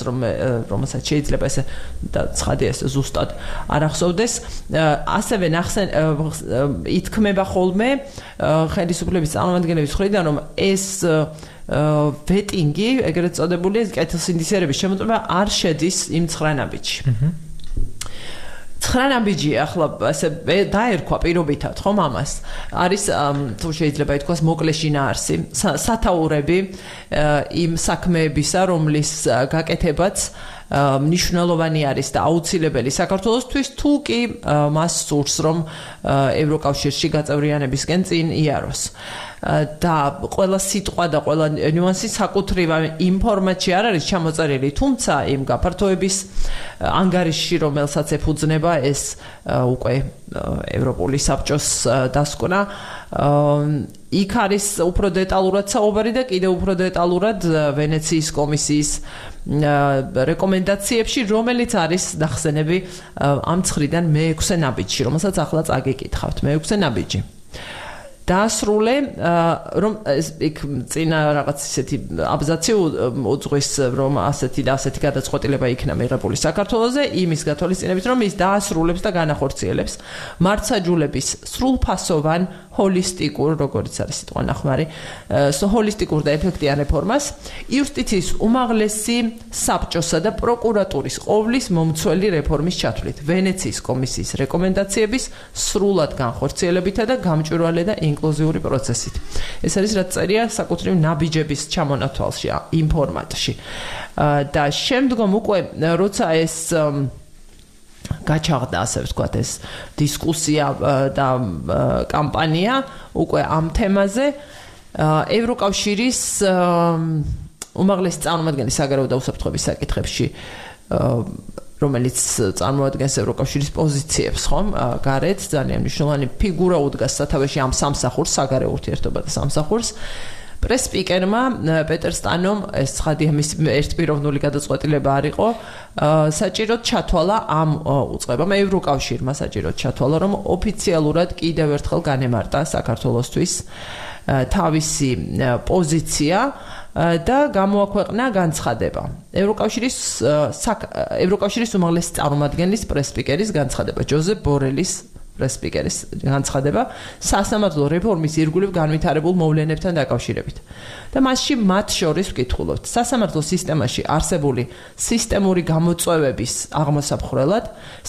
რომელსაც შეიძლება ესე და ცხადია ესე ზუსტად არ ახსოვდეს ასევე ითქმება ხოლმე ხელისუფლების წარმომადგენლების მხრიდან რომ ეს ვეტინგი ეგრეთ წოდებული კეთილსინდისიერების შემოწმება არ შედის იმ 9 ნაბიჯში 9 ნაბიჯი ახლა ასე დაერქვა პირობითად ხომ ამას არის თუ შეიძლება ითქვას მოკლე შინაარსი სათაურები იმ საქმეებისა რომლის გაკეთებაც მნიშვნელოვანი არის და აუცილებელი საქართველოსთვის თუ კი მას სურს რომ ევროკავშირში გაწევრიანებისკენ წინ იაროს და ყველა სიტყვა და ყველა ნიუანსი საკუთრივ იმ ფორმატში არ არის ჩამოწერილი თუმცა იმ გაფართოების ანგარიშში რომელსაც ეფუძნება ეს უკვე ევროპული საბჭოს დასკვნა იქ არის უფრო დეტალურად საუბარი და კიდევ უფრო დეტალურად ვენეციის კომისიის რეკომენდაციებში რომელიც არის ნახსენები ამ 9-დან მე-6 ნაბიჯში რომელსაც ახლა წაგიკითხავთ მე-6 ნაბიჯი დაასრულე რომ იქ წინა რაღაც ისეთი აბზაცი უძღვის რომ ასეთი და ასეთი გადაწყვეტილება იქნა მიღებული საქართველოზე იმის გათვალისწინებით რომ ის დაასრულებს და განახორციელებს მართსაჯულების სრულფასოვან ჰოლისტიკურ როგორც არის სიტყვა ნახმარი ჰოლისტიკურ და ეფექტიან რეფორმას იუსტიციის უმაღლესი საბჭოსა და პროკურატურის ყოვლის მომცველი რეფორმის ჩათვლით ვენეციის კომისიის რეკომენდაციების სრულად განხორციელებითა და გამჭვირვალე და ინკლუზიური პროცესით. ეს არის რაც წერია საკუთრივ ნაბიჯების ჩამონათვალში იმ ფორმატში. და შემდგომ უკვე როცა ეს გაჩაღდა ასე ვთქვათ ეს დისკუსია და კამპანია უკვე ამ თემაზე ევროკავშირის უმაღლესი წარმომადგენლის საგარეო და უსაფრთხოების საკითხებში რომელიც წარმოადგენს ევროკავშირის პოზიციებს, ხომ? გარეთ ძალიან მნიშვნელოვანი ფიგურა უდგას სათავეში ამ სამსახურს, საგარეო ურთიერთობა და სამსახურს. პრეს-სპიკერმა პეტერ სტანომ ეს ცხადია მის ერთპიროვნული გადაწყვეტილება არ იყო, საჭიროდ ჩათვალა ამ უწყებამ ევროკავშირმა საჭიროდ ჩათვალა, რომ ოფიციალურად კიდევ ერთხელ განემარტა საქართველოსთვის თავისი პოზიცია და გამოაქვეყნა განცხადება. ევროკავშირის უმაღლესი წარმომადგენლის პრეს-სპიკერის განცხადება, ჯოზეფ ბორელის პრეს-სპიკერის განცხადება სასამართლო რეფორმის ირგვლივ განვითარებულ მოვლენებთან დაკავშირებით. და მასში მათ შორის ვკითხულობთ, სასამართლო სისტემაში არსებული სისტემური გამოწვევების აღმოსაფხრელად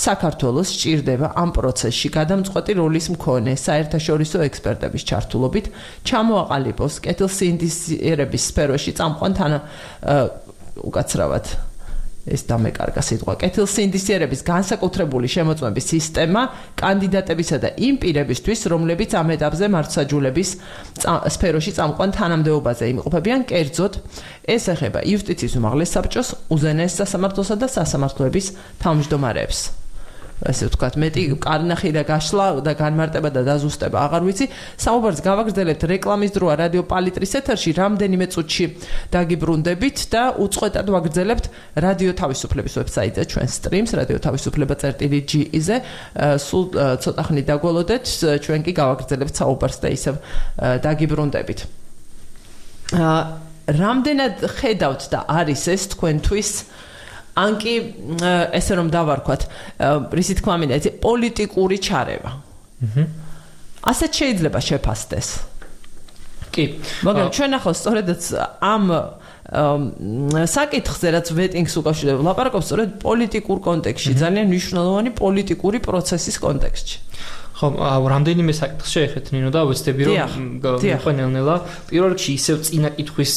საქართველოს სჭირდება ამ პროცესში გადამწყვეტი როლის მქონე საერთაშორისო ექსპერტების ჩართულობით ჩამოაყალიბოს კეთილსინდისიერების სფეროში წამყვან უკაცრავად ეს დამეკარგა სიტყვა კეთილსინდისიერების განსაკუთრებული შემოწმების სისტემა კანდიდატებისა და იმ პირებისთვის, რომლებიც ამ ეტაპზე მართლმსაჯულების სფეროში წამყვან თანამდებობაზე იმყოფებიან, კერძოდ ეს ეხება იუსტიციის უმაღლეს საბჭოს, უზენაეს სასამართლოსა და სასამართლოების თავმჯდომარეებს. ესე ვთქვათ, მეტი კარნახი და გაშლა და განმარტება და დაზუსტება აღარ ვიცი. საუბარს გავაგრძელებთ რეკლამის დროა რადიო პალიტრის ეთერში, რამდენიმე წუთში დაგიბრუნდებით და უწყვეტად ვაგრძელებთ რადიო თავისუფლების ვებსაიტზე ჩვენ სტრიმს, რადიო თავისუფლება.gi-ზე. სულ ცოტა ხნით დაგველოდეთ, ჩვენ კი გავაგრძელებთ საუბარს და ისევ დაგიბრუნდებით. რამდენად ხედავთ და არის ეს თქვენთვის ან კი ესე რომ დავარქვათ, რისი თქმა მინდა, პოლიტიკური ჩარევა. ასეთ შეიძლება შეფასდეს. კი. მაგრამ ჩვენ ახლა სწორედაც ამ საკითხზე რაც ვეტინგს უკავშირდება, ლაპარაკობს სწორედ პოლიტიკურ კონტექსტში, ძალიან მნიშვნელოვანი პოლიტიკური პროცესის კონტექსტში. ხო, რამდენიმე საკითხს შეეხეთ ნინო და ვეცდები რომ მიყვანელნელა. პირველ რიგში ისევ წინა კითხვის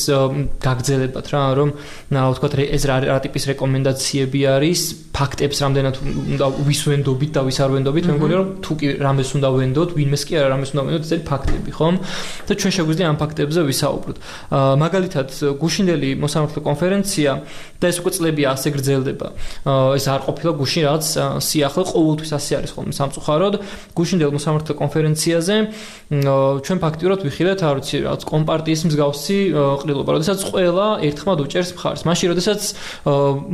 გაგრძელებათ რა, რომ ვთქვათ ეს რა ტიპის რეკომენდაციები არის, ფაქტებს რამდენად უნდა ვისვენდობით და ვის არ ვენდობით. მე მგონია რომ თუ კი რამეს უნდა ვენდოთ, ვინმეს კი არა რამეს უნდა ვენდოთ, ეს ფაქტები, ხომ? და ჩვენ შეგვიძლია ამ ფაქტებზე ვისაუბროთ. მაგალითად, გუშინდელი მოსამართლე კონფერენცია და ეს უკვე წლებია ასე გრძელდება. ეს არ ყოფილა გუშინ რაღაც სიახლე, ყოველთვის ასე არის ხოლმე სამწუხაროდ. გუშინდელ მოსამართლე კონფერენციაზე ჩვენ ფაქტიურად ვიხილეთ, არ ვიცი, რაღაც კომპარტიის მსგავსი ყრილობა, როდესაც ყველა ერთხმად უჭერს მხარს. მაშინ, როდესაც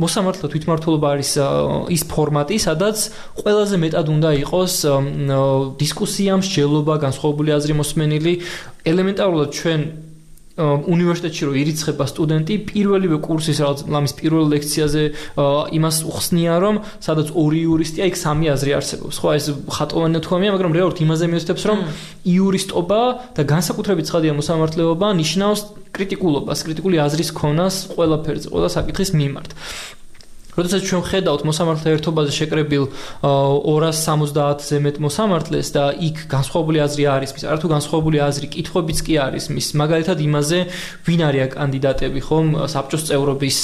მოსამართლე თვითმმართველობა არის ის ფორმატი, სადაც ყველაზე მეტად უნდა იყოს დისკუსია, მსჯელობა, განსხვავებული აზრი მოსმენილი. ელემენტარულად ჩვენ უნივერსიტეტში რო ირიცხება სტუდენტი, პირველივე კურსის რაღაც ლამის პირველ ლექციაზე იმას უხსნია, რომ სადაც ორი იურისტია, იქ სამი აზრი არსებობს. ხო, ეს ხატოვანი თქვამია, მაგრამ რეალურად იმაზე მიოცდებს, რომ იურისტობა და განსაკუთრებით ცხადია მოსამართლეობა ნიშნავს კრიტიკულობას, კრიტიკული აზრის ქონას ყველაფერზე, ყველა საკითხის მიმართ. როდესაც ჩვენ ხედავთ მოსამართლე ერთობაზე შეკრებილ 270-ზე მეტ მოსამართლეს და იქ განსხვავებული აზრი არის მის, არათუ განსხვავებული აზრი კითხვებიც კი არის მის, მაგალითად იმაზე, ვინ არიან კანდიდატები, ხომ, საბჭოს წევრობის,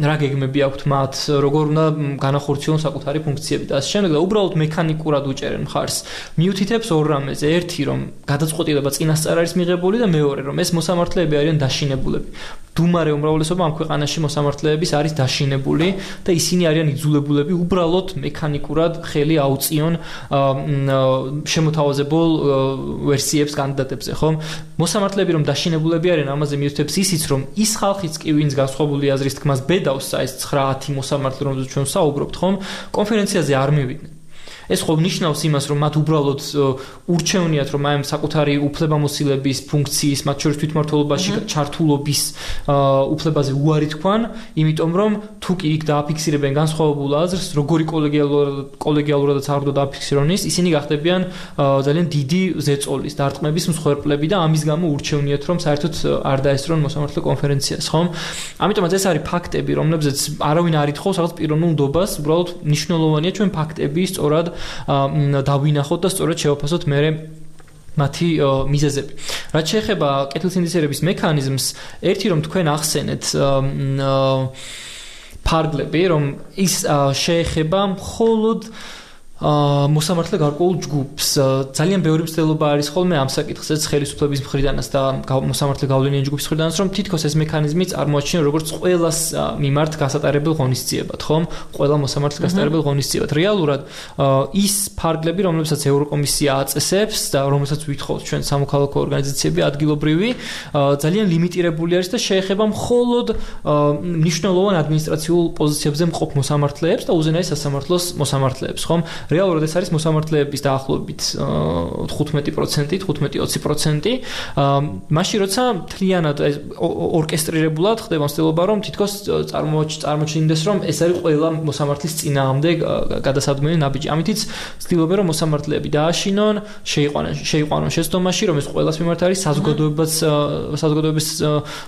რა გეგმები აქვთ მათ, როგორ უნდა განახორციელონ საკუთარი ფუნქციები და ასე შემდეგ და უბრალოდ მექანიკურად უჭერენ მხარს. მიუთითებს ორ რამეზე, ერთი რომ გადაწყვეტილება წინასწარ არის მიღებული და მეორე რომ ეს მოსამართლეები არიან დაშინებულები. დუმარე უმრავლესობა ამ ქვეყანაში მოსამართლეების არის დაშინებული და ისინი არიან იძულებულები უბრალოდ მექანიკურად ხელი აუწიონ შემოთავაზებულ ვერსიებს კანდიდატებზე, ხომ? მოსამართლეები რომ დაშინებულები არიან, ამაზე მიუთითებს ისიც, რომ ის ხალხიც კი ვინც განსხვავებული აზრის თქმას ბედავს, ეს 9-10 მოსამართლე, რომელზეც ჩვენ ვსაუბრობთ, ხომ? კონფერენციაზე არ მივიდნენ. ეს ხო ნიშნავს იმას, რომ მათ უბრალოდ ურჩევნიათ, რომ აი საკუთარი უფლებამოსილების ფუნქციის, მათ შორის თვითმმართველობაში ჩართულობის უფლებაზე უარი თქვან, იმიტომ რომ თუ კი იქ დააფიქსირებენ განსხვავებულ აზრს, როგორი კოლეგიალურადაც არ უნდა დააფიქსირონ ის, ისინი გახდებიან ძალიან დიდი ზეწოლის, დარტყმების მსხვერპლები და ამის გამო ურჩევნიათ, რომ საერთოდ არ დაესწრონ მოსამართლე კონფერენციას, ხომ? ამიტომაც ეს არის ფაქტები, რომლებზეც არავინ არ ითხოვს რაღაც პიროვნულ ნდობას, უბრალოდ მნიშვნელოვანია ჩვენ ფაქტები სწორად დავინახოთ და სწორედ შევაფასოთ მე მათი მიზეზები. რაც შეეხება კეთილსინდისიერების მექანიზმს, ერთი რომ თქვენ ახსენეთ ფარგლები, რომ ის შეეხება მხოლოდ მოსამართლე გარკვეულ ჯგუფს. ძალიან ბევრი მცდელობა არის ხოლმე ამ საკითხზეც ხელისუფლების მხრიდანაც და მოსამართლე გავლენიანი ჯგუფის მხრიდანაც, რომ თითქოს ეს მექანიზმი წარმოაჩინა როგორც ყველას მიმართ გასატარებელ ღონისძიებად, ხომ? ყველა მოსამართლეს გასატარებელ ღონისძიებად. რეალურად ის ფარგლები, რომლებსაც ევროკომისია აწესებს და რომელსაც ვითხოვთ ჩვენ სამოქალაქო ორგანიზაციები ადგილობრივი, ძალიან ლიმიტირებული არის და შეეხება მხოლოდ მნიშვნელოვან ადმინისტრაციულ პოზიციებზე მყოფ მოსამართლეებს და უზენაეს სასამართლოს მოსამართლეებს, ხომ? რეალურად ეს არის მოსამართლეების დაახლოებით 15%, 15-20%. მაშინ როცა მთლიანად ორკესტრირებულად ხდება მცდელობა, რომ თითქოს წარმოჩინდეს, რომ ეს არის ყველა მოსამართლის წინააღმდეგ გადასადგმელი ნაბიჯი. ამითიც ცდილობენ, რომ მოსამართლეები დააშინონ, შეიყვანონ შეცდომაში, რომ ეს ყველას მიმართ არის საზოგადოების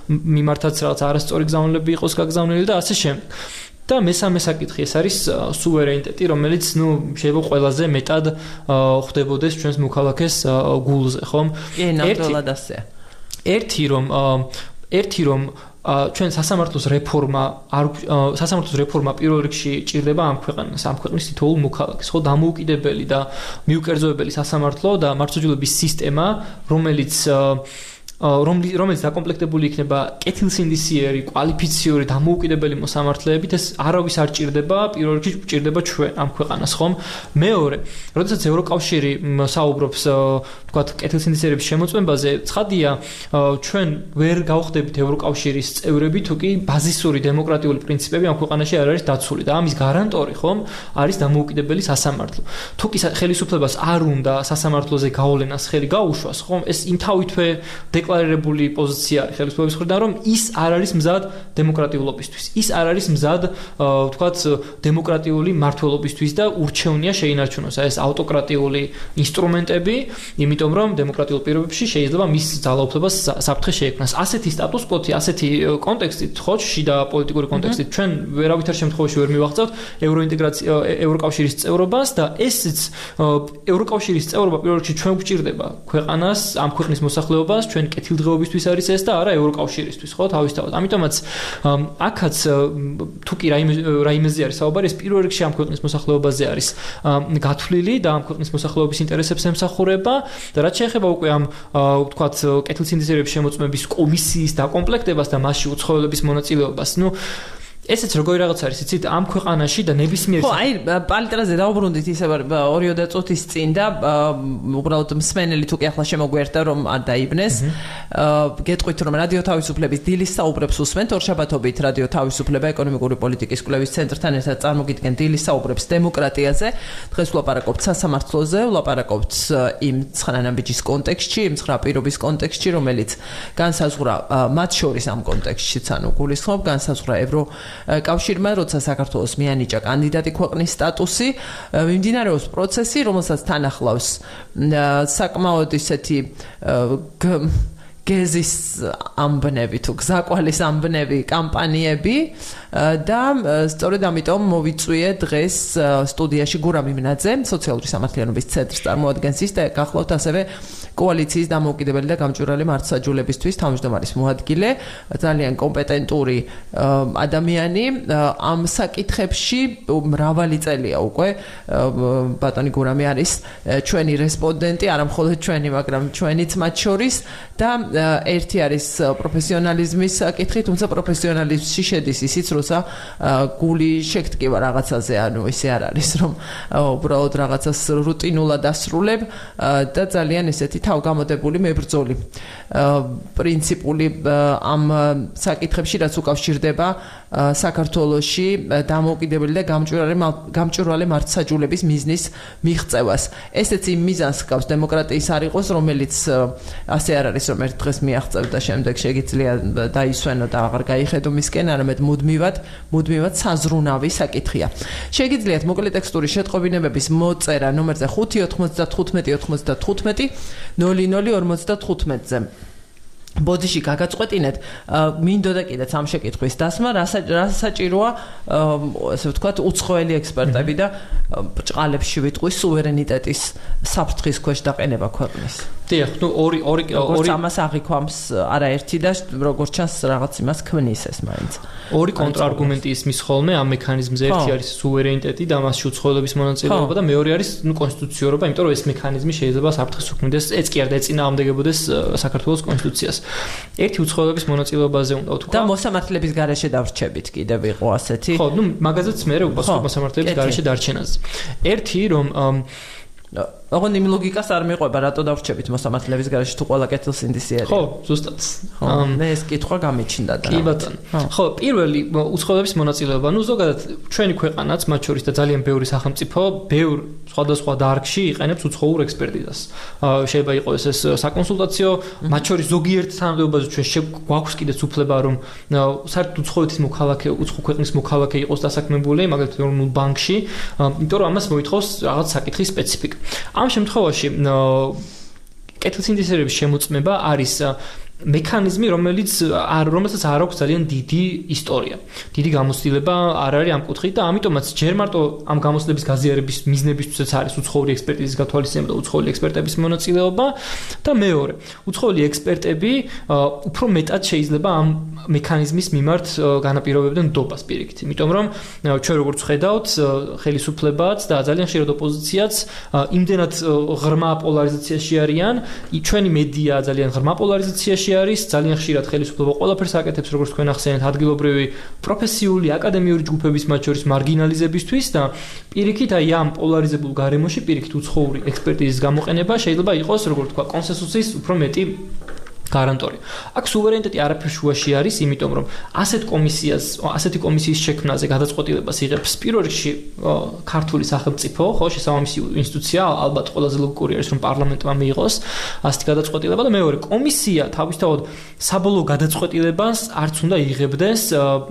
მიმართაც რაღაც არასწორი გზავნილები იყოს გაგზავნილი და ასე შემდეგ. და მესამე საკითხი ეს არის სუვერენიტეტი, რომელიც შეიძლება ყველაზე მეტად ხდებოდეს ჩვენს მოქალაქეს გულზე, ხომ? ნამდვილად ასეა. ერთი რომ ჩვენ სასამართლოს რეფორმა პირველ რიგში ჭირდება ამ ქვეყნის თითოეულ მოქალაქეს, ხო, დამოუკიდებელი და მიუკერძოებელი სასამართლო და მართლმსაჯულების სისტემა, რომელიც რომელიც დაკომპლექტებული იქნება კეთილსინდისიერი, კვალიფიციური, დამოუკიდებელი მოსამართლეებით, ეს არავის არ ჭირდება, პირველ რიგში ჭირდება ჩვენ ამ ქვეყანას, ხომ? მეორე, როდესაც ევროკავშირი საუბრობს, თქვათ, კეთილსინდისიერების შემოწმებაზე, ცხადია, ჩვენ ვერ გავხდებით ევროკავშირის წევრები, თუ კი ბაზისური დემოკრატიული პრინციპები ამ ქვეყანაში არ არის დაცული და ამის გარანტორი, ხომ, არის დამოუკიდებელი სასამართლო. თუ კი ხელისუფლებას არ უნდა სასამართლოზე გავლენას ხელი გაუშვას, ხომ, ეს იმთავითვე დეკლარირებული პოზიცია არის ხელისუფლების მხრიდან, რომ ის არ არის მზად დემოკრატიულობისთვის. ის არ არის მზად, თქვათ, დემოკრატიული მმართველობისთვის და ურჩევნია შეინარჩუნოს ეს ავტოკრატიული ინსტრუმენტები, იმიტომ რომ დემოკრატიულ პირობებში შეიძლება მის ძალაუფლებას საფრთხე შეექმნას. ასეთი სტატუს-კვოთი, ასეთი კონტექსტით, ხო, შიდა პოლიტიკური კონტექსტით ჩვენ ვერავითარ შემთხვევაში ვერ მივახცევთ ევროკავშირის წევრობას და ესეც ევროკავშირის წევრობა პირველ რიგში ჩვენ გვჭირდება ქვეყანას, ამ ქვეყნის მოსახლეობას, ჩვენ კეთილდღეობისთვის არის ეს და არა ევროკავშირისთვის, ხო, თავისთავად. ამიტომაც აქაც თუ კი რაიმეზე არის საუბარი, ეს პირველ რიგში ამ ქვეყნის მოსახლეობაზე არის გათვლილი და ამ ქვეყნის მოსახლეობის ინტერესებს ემსახურება და რაც შეეხება უკვე ამ ვთქვათ კეთილსინდისიერების შემოწმების კომისიის დაკომპლექტებას და მასში უცხოელების მონაწილეობას, ესეც როგორი რაღაც არის, იცით, ამ ქვეყანაში და ნებისმიერ ხო, აი, პალიტრაზე დავუბრუნდით ისე 2-3 წუთის წინ და უბრალოდ მსმენელი თუ კი ახლა შემოგვიერთდა რომ არ დაიბნეს. გეტყვით რომ რადიო თავისუფლების დილის საუბრებს უსმენთ, ორშაბათობით რადიო თავისუფლება ეკონომიკური პოლიტიკის კვლევის ცენტრთან ერთად წარმოგიდგენ დილის საუბრებს დემოკრატიაზე. დღეს ვლაპარაკობთ სასამართლოზე, ვლაპარაკობთ იმ ცხანანაბიჯის კონტექსტში, იმ ცხრა პირობის კონტექსტში, რომელიც განსაზღვრა მათ შორის ამ კონტექსტშიც, ანუ გულისხმობ განსაზღვრა კავშირმა, როცა საქართველოს მიანიჭა კანდიდატი ქვეყნის სტატუსი, მიმდინარეობს პროცესი, რომელსაც თან ახლავს საკმაოდ ისეთი გეზის ამბნები თუ გზაკვალის ამბნები კამპანიები და სწორედ ამიტომ მოვიწვიე დღეს სტუდიაში გურამ იმნაძე, სოციალური სამართლიანობის ცენტრის წარმოადგენს ის და გახლავთ ასევე კოალიციის დამოუკიდებელი და გამჭვირვალე მართლმსაჯულებისთვის თავმჯდომარის მოადგილე, ძალიან კომპეტენტური ადამიანი ამ საკითხებში მრავალი წელია უკვე ბატონი გურამი არის ჩვენი რესპონდენტი, არა მხოლოდ ჩვენი, მაგრამ ჩვენიც მათ შორის და ერთი არის პროფესიონალიზმის საკითხი, თუმცა პროფესიონალიზმში შედის ისიც, როცა გული შეგტკივა რაღაცაზე, ანუ ისე არ არის, რომ უბრალოდ რაღაცას რუტინულად ასრულებ და ძალიან ესეთი თავგამოდებული მებრძოლი პრინციპული ამ საკითხებში, რაც უკავშირდება საქართველოში დამოუკიდებელი და გამჭვირვალე მართლმსაჯულების მიზნის მიღწევას. ესეც იმ მიზანს ჰგავს დემოკრატიის არ იყოს, რომელიც ასე არ არის, რომ ერთ დღეს მიაღწევ და შემდეგ შეგიძლია დაისვენო და აღარ გაიხედო მისკენ, არამედ მუდმივად საზრუნავი საკითხია. შეგიძლიათ მოკლე ტექსტური შეტყობინებების მოწერა ნომერზე 595-95 00-55-ზე. ბოდიში გაგაწყვეტინეთ, მინდოდა კიდეც ამ შეკითხვის დასმა, რა საჭიროა, ასე ვთქვათ, უცხოელი ექსპერტები და ბრჭყალებში ვიტყვის სუვერენიტეტის საფრთხის ქვეშ დაყენება ქვეყნის. დიახ, ორი ამას აღიქვამს არაერთი და როგორც ჩანს რაღაც იმას ქმნის ეს მაინც. ორი კონტრარგუმენტი ისმის ხოლმე ამ მექანიზმზე, ერთი არის სუვერენიტეტი და მასში უცხოელების მონაწილეობა და მეორე არის კონსტიტუციურობა, იმიტომ რომ ეს მექანიზმი შეიძლება საფრთხეს უქმნიდეს, ეს კი არ დაეწინააღმდეგებოდეს საქართველოს კონსტიტუციას. ერთი უცხოელების მონაწილეობაზე უნდა ვთქვა. და მოსამართლეების გარეშე დავრჩებით კიდევ იყო ასეთი. ხო, მაგაზეც მე უპასუხობ მოსამართლეების გარეშე დარჩენაზე. ერთი რომ ოღონდ იმ ლოგიკას არ მიყვება, რატო დავრჩებით მოსამართლეების გარეშე თუ ყველა კეთილსინდისიერია. ხო, ზუსტად. მე ეს კითხვა გამიჩნდა და. კი ბატონო. ხო, პირველი უცხოელების მონაწილეობა, ზოგადად ჩვენი ქვეყანაც, მათ შორის და ძალიან ბევრი სახელმწიფო, ბევრ სხვადასხვა დარგში იყენებს უცხოურ ექსპერტიზას. შეიძლება იყოს ეს საკონსულტაციო, მათ შორის ზოგიერთ თანამდებობაზე ჩვენ გვაქვს კიდეც უფლება, რომ საერთოდ უცხოეთის მოქალაქე, უცხო ქვეყნის მოქალაქე იყოს დასაქმებული, მაგალითად ეროვნულ ბანკში, იმიტომ რომ ამას მოითხოვს რაღაც საკითხის სპეციფიკა. ამ შემთხვევაში კეთილსინდისიერების შემოწმება არის მექანიზმი, რომელსაც არ აქვს ძალიან დიდი ისტორია. დიდი გამოცდილება არ არის ამ კუთხით და ამიტომაც ჯერ მარტო ამ გამოცდილების გაზიარების მიზნებისთვისაც არის უცხოური ექსპერტიზის გათვალისწინება და უცხოური ექსპერტების მონაწილეობა და მეორე, უცხოური ექსპერტები უფრო მეტად შეიძლება ამ მექანიზმის მიმართ განაპირობებდნენ ნდობას პირიქით. იმიტომ რომ ჩვენ როგორც ხედავთ, ხელისუფლებაც და ძალიან ხშირად ოპოზიციაც იმდენად ღრმა პოლარიზაციაში არიან, ჩვენი მედია ძალიან ღრმა პოლარიზაციაში არის, ძალიან ხშირად ხელისუფლება ყველაფერს აკეთებს, როგორც თქვენ ახსენეთ, ადგილობრივი პროფესიული აკადემიური ჯგუფების მათ შორის მარგინალიზებისთვის და პირიქით აი ამ პოლარიზებულ გარემოში პირიქით უცხოური ექსპერტიზის გამოყენება შეიძლება იყოს, როგორც თქვა, კონსენსუსის უფრო მეტი გარანტორი. აქ სუვერენიტეტი არაფერ შუაში არის, იმიტომ რომ ასეთი კომისიის შექმნაზე გადაწყვეტილებას იღებს პირველ რიგში ქართული სახელმწიფო, ხო, შესაბამისი ინსტიტუცია, ალბათ ყველაზე ლოგიკური არის რომ პარლამენტმა მიიღოს ასეთი გადაწყვეტილება და მეორე კომისია თავისთავად საბოლოო გადაწყვეტილებას არც უნდა იღებდეს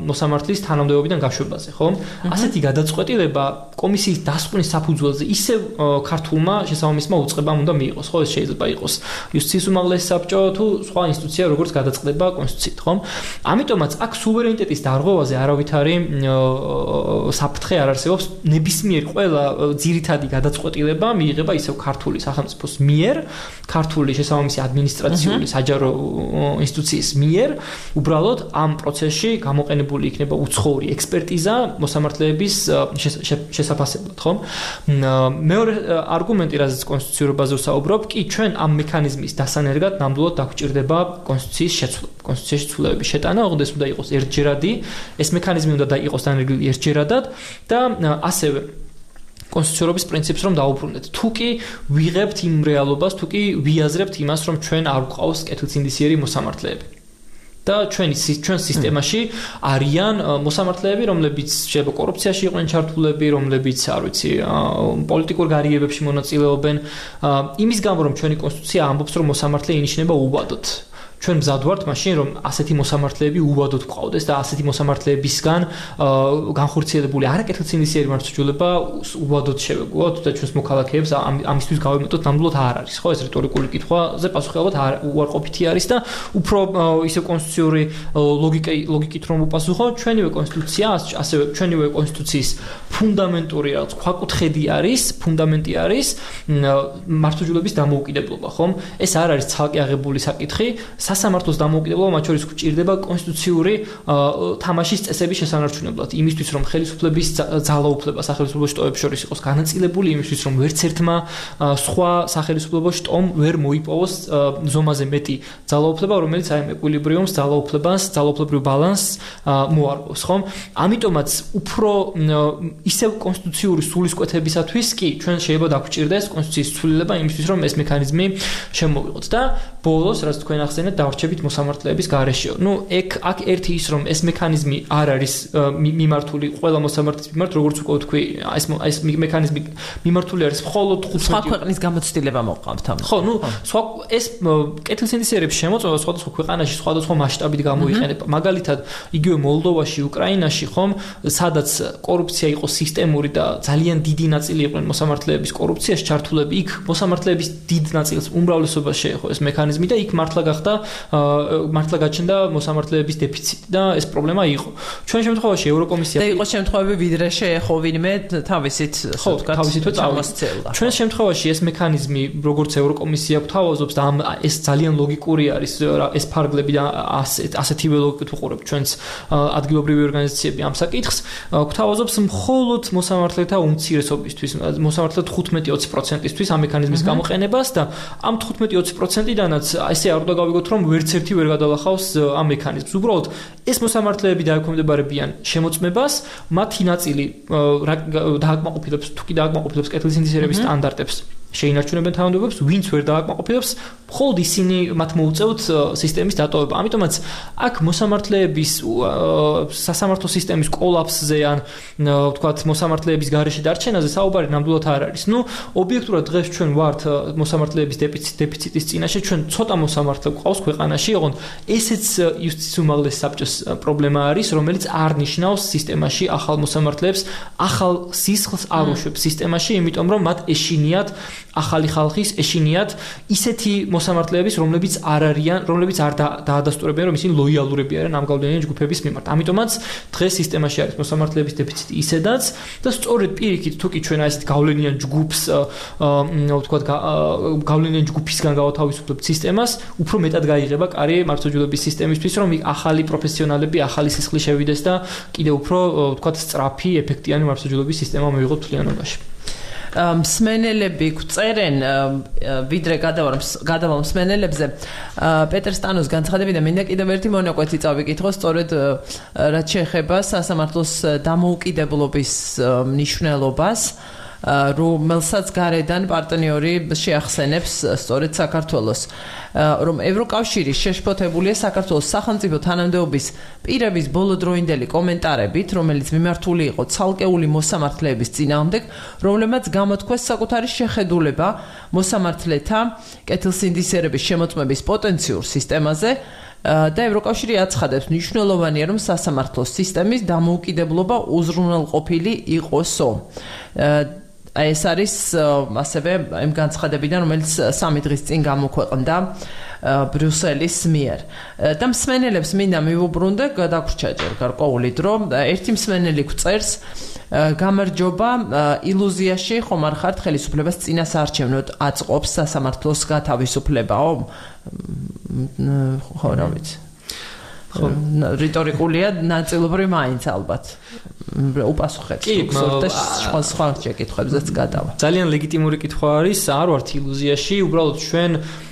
მოსამართლის თანამდებობიდან გაშვებაზე, ხო? ასეთი გადაწყვეტილება კომისიის დასკვნის საფუძველზე ისევ ქართულმა შესაბამისმა უწყებამ უნდა მიიღოს, ხო, ეს შეიძლება იყოს იუსტიციის უმაღლესი საბჭო თუ სხვა ინსტიტუცია როგორც გადაწყდება კონსტიტუციით, ხომ? ამიტომაც აქ სუვერენიტეტის დარღვევაზე არავითარი საფრთხე არ არსებობს. ნებისმიერი ყველა ძირითადი გადაწყვეტილება მიიღება ისევ ქართული სახელმწიფოს მიერ, ქართული შესაბამისი ადმინისტრაციული საჯარო ინსტიტუციის მიერ, უბრალოდ ამ პროცესში გამოყენებული იქნება უცხოური ექსპერტიზა მოსამართლეების შესაფასებლად, ხომ? მეორე არგუმენტი, რაზეც კონსტიტუციურობაზე ვსაუბრობ, კი ჩვენ ამ მექანიზმის დასანერგად ნამდვილად დაგვჭირდება კონსტიტუციის ცვლილებების შეტანა, ოღონდ ეს უნდა იყოს ერთჯერადი, ეს მექანიზმი უნდა იყოს დანერგილი ერთჯერადად და ასევე კონსტიტუციურობის პრინციპს რომ დაუბრუნდეთ. თუ კი ვიღებთ იმ რეალობას, თუ კი ვიაზრებთ იმას, რომ ჩვენ არ გვყავს კეთილსინდისიერი მოსამართლეები. და ჩვენ სისტემაში არიან მოსამართლეები, რომლებიც შეიძლება კორუფციაში იყვნენ ჩართულები, რომლებიც არ ვიცი, პოლიტიკურ გარიგებებში მონაწილეობენ. იმის გამო რომ ჩვენი კონსტიტუცია ამბობს, რომ მოსამართლე ინიშნება უვადოდ. ჩვენ მზად ვართ მაშინ რომ ასეთი მოსამართლეები უვადოდ გვყავდეს და ასეთი მოსამართლეებისგან განხორციელებული არაკეთილსინდისიერი მართლმსაჯულება უვადოდ შევეგუოთ და ჩვენს მოქალაქეებს ამისთვის გავემეტოთ ნამდვილად არ არის, ხო, ეს რიტორიკული კითხვაზე პასუხი ალბათ უარყოფითი არის და უფრო ისე კონსტიტუციური ლოგიკით რომ უპასუხო, ჩვენივე კონსტიტუცია, ასევე ჩვენივე კონსტიტუციის ფუნდამენტური რაღაც ქვაკუთხედი არის, ფუნდამენტი არის მართლმსაჯულების დამოუკიდებლობა, ხომ? ეს არ არის ცალკე აღებული საკითხი. სასამართლოს დამოუკიდებლობა მათ შორის გვჭირდება კონსტიტუციური თამაშის წესების შესანარჩუნებლად. იმისთვის რომ ხელისუფლების ძალაუფლება სახელმწიფო შტოებს შორის იყოს განაწილებული, იმისთვის რომ ვერც ერთმა სხვა სახელმწიფო შტომ ვერ მოიპოვოს ზომაზე მეტი ძალაუფლება, რომელიც აი ეკვილიბრიუმს, ძალაუფლებრივ ბალანსს მოარგოს, ხომ? ამიტომაც უფრო ისევ კონსტიტუციური სულისკვეთებისათვის კი ჩვენ შეიძლება დაგვჭირდეს კონსტიტუციის ცვლილება იმისთვის რომ ეს მექანიზმი შემოვიღოთ და ბოლოს რაც თქვენ ახსენეთ დავრჩებით მოსამართლეების გარეშეო. აქ ერთი ის რომ ეს მექანიზმი არ არის მიმართული ყველა მოსამართლის მიმართ, როგორც უკვე თქვი, ეს მექანიზმი მიმართული არის მხოლოდ 15 სხვა ქვეყნის გამოცდილება მოყავთ ამ. ხო, სხვა ეს კეთილსინდისიერების შემოწმება სხვადასხვა ქვეყანაში სხვადასხვა მასშტაბით გამოიყენება. მაგალითად, იგივე მოლდოვაში, უკრაინაში, ხომ, სადაც კორუფცია იყო სისტემური და ძალიან დიდი ნაწილი იყვნენ მოსამართლეების კორუფციაში ჩართულები, იქ მოსამართლეების დიდ ნაწილს უმრავლესობას შეეხო ეს მექანიზმი და იქ მართლა გაჩნდა მოსამართლეების დეფიციტი და ეს პრობლემა იყო. ჩვენ შემთხვევაში ევროკომისია და იყო შემთხვევები ვიდრე შეეხო ვინმე თავისით წამოსცელა. ჩვენ შემთხვევაში ეს მექანიზმი როგორც ევროკომისია გვთავაზობს და ეს ძალიან ლოგიკური არის ეს ფარგლები და ასეთივე ლოგიკით უყურებთ ჩვენს ადგილობრივი ორგანიზაციები ამ საკითხს გვთავაზობს მხოლოდ მოსამართლეთა უმცირესობისთვის, მოსამართლეთა 15-20%-ისთვის ამ მექანიზმის გამოყენებას და ამ 15-20%-დანაც ესე არ უნდა გავიგოთ რომ ვერც ერთი ვერ გადალახავს ამ მექანიზმს. უბრალოდ ეს მოსამართლეები დაექვემდებარებიან შემოწმებას, მათი ნაწილი დააკმაყოფილებს, თუ კი დააკმაყოფილებს კეთილსინდისიერების სტანდარტებს. შეინარჩუნებენ თანამდებობებს, ვინც ვერ დააკმაყოფილებს, მხოლოდ ისინი მათ მოუწევთ სისტემის დატოვება. ამიტომაც აქ მოსამართლეების სასამართლო სისტემის კოლაფსზე ან ვთქვათ მოსამართლეების გარეშე დარჩენაზე საუბარი ნამდვილად არ არის. ობიექტურად დღეს ჩვენ ვართ მოსამართლეების დეფიციტის წინაშე, ჩვენ ცოტა მოსამართლე გვყავს ქვეყანაში, ოღონდ ესეც იუსტიციის უმაღლესი საბჭოს პრობლემა არის, რომელიც არ ნიშნავს სისტემაში ახალ მოსამართლეებს, ახალ სისხლს არ უშვებს სისტემაში, იმიტომ რომ მათ ეშინიათ ახალი ხალხის ეშინიათ ისეთი მოსამართლეების, რომლებიც არ არიან, რომლებიც არ დაადასტურებიან, რომ ისინი ლოიალურები არიან ამ გავლენიანი ჯგუფების მიმართ. ამიტომაც დღეს სისტემაში არის მოსამართლეების დეფიციტი ისედაც და სწორედ პირიქით თუკი ჩვენ ასეთ გავლენიან ჯგუფს ვთქვათ გავლენიან ჯგუფისგან გავათავისუფლებთ სისტემას, უფრო მეტად გაიღება კარი მართლმსაჯულების სისტემისთვის, რომ ახალი პროფესიონალები, ახალი სისხლი შევიდეს და კიდევ უფრო ვთქვათ სწრაფი, ეფექტიანი მართლმსაჯულების სისტემა მივიღოთ მთლიანობაში. მსმენელები გვწერენ ვიდრე გადავალ მსმენელებზე პეტერ სტანოს განცხადებიდან მინდა კიდევ ერთი მონაკვეთი წავიკითხო სწორედ რაც შეეხება სასამართლოს დამოუკიდებლობის მნიშვნელობას რომელსაც გარედან პარტნიორი შეახსენებს სწორედ საქართველოს რომ ევროკავშირი შეშფოთებულია საქართველოს სახელმწიფო თანამდებობის პირების ბოლოდროინდელი კომენტარებით რომელიც მიმართული იყო ცალკეული მოსამართლეების წინააღმდეგ რომლებმაც გამოთქვეს საკუთარი შეხედულება მოსამართლეთა კეთილსინდისერების შემოწმების პოტენციურ სისტემაზე და ევროკავშირი აცხადებს მნიშვნელოვანია რომ სასამართლოს სისტემის დამოუკიდებლობა უზრუნველყოფილი იყოსო ეს არის ასევე იმ განცხადებიდან რომელიც 3 დღის წინ გამოქვეყნდა ბრიუსელის მიერ და მსმენელებს მინდა მივუბრუნდე გადაგვრჩაჯერ გარკვეული დრო ერთი მსმენელი გვწერს გამარჯობა ილუზიაში ხომ არ ხართ ხელისუფლებას წინასაარჩევნოდ აწყობს სასამართლოს გათავისუფლებაო ხო რა ვიცი რიტორიკულია ნაწილობრივ მაინც ალბათ უპასუხეთ სხვა შეკითხვებზეც გადავა ძალიან ლეგიტიმური კითხვა არის არ ვართ ილუზიაში უბრალოდ ჩვენ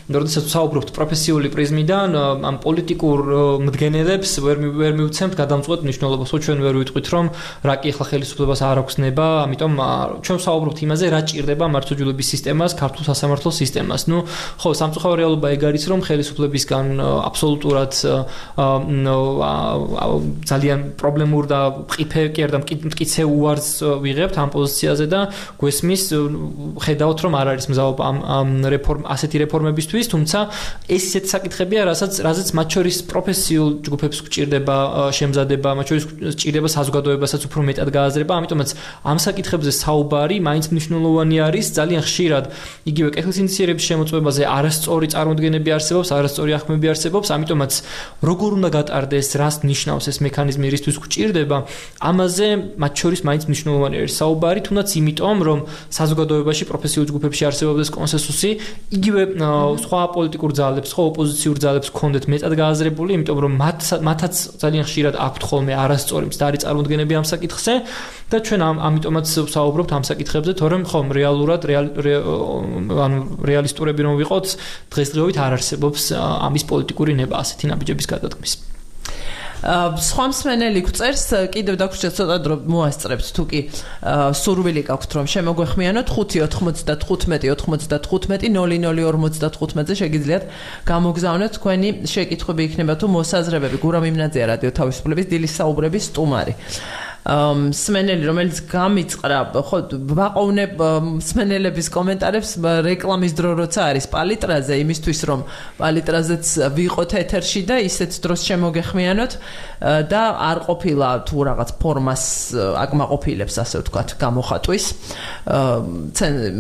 როდესაც ვსაუბრობთ პროფესიული პრიზმიდან ამ პოლიტიკურ მდგენელებს ვერ მივცემთ გადამწყვეტ მნიშვნელობას ხო ჩვენ ვერ ვიტყვით რომ რა კი ახლა ხელისუფლებას არ აქვს ნება ამიტომ ჩვენ ვსაუბრობთ იმაზე რა ჭირდება მართლმსაჯულების სისტემას ქართულ სასამართლო სისტემას ნუ ხო სამწუხარო რეალობა ეგ არის რომ ხელისუფლებისგან აბსოლუტურად ძალიან პრობლემურ და მყიფე კი არ და მტკიცე უარს ვიღებთ ამ პოზიციაზე და გვესმის ხედავთ რომ არ არის მზაობა ამ ასეთი რეფორმებისთვის თუმცა ეს ისეთი საკითხებია რაზეც მათ შორის პროფესიულ ჯგუფებს გვჭირდება შემზადება მათ შორის გვჭირდება საზოგადოებასაც უფრო მეტად გააზრება ამიტომაც ამ საკითხებზე საუბარი მაინც მნიშვნელოვანი არის ძალიან ხშირად იგივე კეთილსინდისიერების შემოწმებაზე არასწორი წარმოდგენები არსებობს არასწორი ახმები არსებობს ამიტომაც როგორ უნდა გატარდეს რას ნიშნავს ეს მექანიზმი რისთვის გვჭირდება ამაზე მათ შორის მაინც მნიშვნელოვანი არის საუბარი თუნდაც იმიტომ რომ საზოგადოებაში პროფესიულ ჯგუფებში არსებობდეს კონსენსუსი იგივე სხვა პოლიტიკურ ძალებს, სხვა ოპოზიციურ ძალებს ჰქონდეთ მეტად გააზრებული, იმიტომ რომ მათაც ძალიან ხშირად აქვთ ხოლმე არასწორი მცდარი წარმოდგენები ამ საკითხზე და ჩვენ ამიტომაც ვსაუბრობთ ამ საკითხებზე, თორემ ხომ რეალურად რეალისტურები რომ ვიყოთ, დღესდღეობით არ არსებობს ამის პოლიტიკური ნება ასეთი ნაბიჯების გადადგმის. სხვა მსმენელი გვწერს კიდევ დაგვრჩეთ ცოტა დრო მოასწრებთ თუკი სურვილი გაქვთ რომ შემოგვეხმიანოთ 5-95-95-00-55-ზე შეგიძლიათ გამოგზავნოთ თქვენი შეკითხვები იქნება თუ მოსაზრებები გურამ იმნაძეა რადიო თავისუფლების დილის საუბრების სტუმარი მსმენელი რომელიც გამიწყრა ხო ვაყოვნებ მსმენელების კომენტარებს რეკლამის დრო როცა არის პალიტრაზე იმისთვის რომ პალიტრაზეც ვიყოთ ეთერში და ისეთ დროს შემოგეხმიანოთ და არ ყოფილა თუ რაღაც ფორმას აკმაყოფილებს ასე ვთქვათ გამოხატვის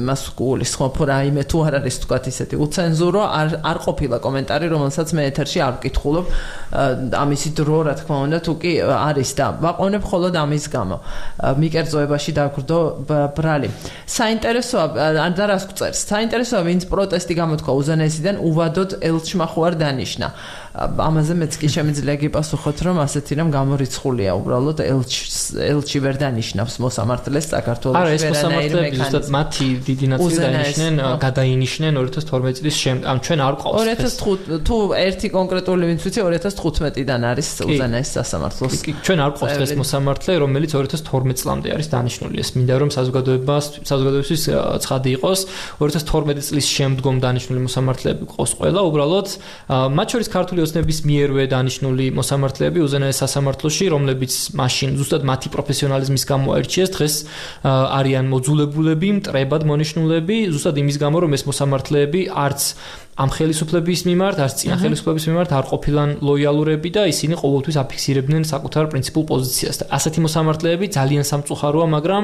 მას გულის ხო რაიმე თუ არ არის ვთქვათ ისეთი უცენზურო არ ყოფილა კომენტარი რომელსაც მე ეთერში არ ვკითხულობ ამისი დრო რა თქმა უნდა თუ კი არის და ვაყოვნებ მხოლოდ ამის გამო მიკერძოებაში დაგვდო ბრალი საინტერესოა და რას გვწერს საინტერესოა ვინც პროტესტი გამოთქვა უზენაესიდან უვადოდ ელჩმა ხო არ დანიშნა ამაზე მეც კი შემიძლია გიპასუხოთ რომ ასეთი რამ გამორიცხულია უბრალოდ ელჩი ვერ დანიშნავს მოსამართლეს საქართველოს არა ეს მოსამართლეები ზუსტად მათი დიდი ნაწილი დანიშნენ გადაინიშნენ 2012 წლის ამ ჩვენ არ ყავს 2005 თუ ერთი კონკრეტული ვინც ვიცი 2015-დან არის უზენაეს სასამართლოს ჩვენ არ ყავს ეს მოსამართლე რომელიც 2012 წლამდე არის დანიშნული ეს მინდა რომ საზოგადოებისთვის ცხადი იყოს 2012 წლის შემდგომ დანიშნული მოსამართლეები ყავს ყველა უბრალოდ მათ შორის ქართული ოცნების მიერვე დანიშნული მოსამართლეები უზენაეს სასამართლოში რომლებიც მაშინ ზუსტად მათი პროფესიონალიზმის გამო აირჩიეს დღეს არიან მოძულებულები მტრებად მონიშნულები ზუსტად იმის გამო რომ ეს მოსამართლეები არც ამ ხელისუფლების მიმართ, არც წინა ხელისუფლების მიმართ არ ყოფილან ლოიალურები და ისინი ყოველთვის აფიქსირებდნენ საკუთარ პრინციპულ პოზიციას. და ასეთი მოსამართლეები ძალიან სამწუხაროა, მაგრამ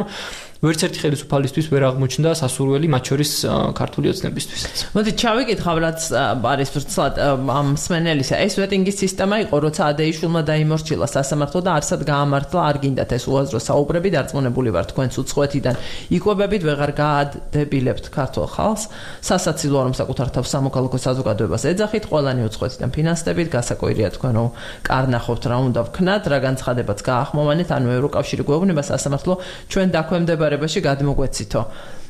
ვერც ერთი ხელისუფალისთვის ვერ აღმოჩნდა სასურველი მათ შორის ქართული ოცნებისთვის. მოდი ჩავიკითხავ, რაც არის ვრცლად ამ მსმენელისა. ეს ვეტინგის სისტემა იყო, როცა ადეიშვილმა დაიმორჩილა სასამართლო და არსად გაამართლა, არ გინდათ ეს უაზრო საუბრები, დარწმუნებული ვარ თქვენც უცხოეთიდან იკვებებით, ვეღარ გაადებილებთ ქართულ ხალხს. სასაცილოა, რომ საკუთარ თავს სამოქალაქო საზოგადოებას ეძახით, ყველანი უცხოეთიდან ფინანსდებით, გასაკვირია თქვენ რომ კარნახობთ რა უნდა ვქნათ, რა განცხადებაც გაახმოვანეთ, ანუ ევროკავშირი გვეუბნება სასამართლო ჩვენ დაქვემდებარებაში გადმოგვეცითო.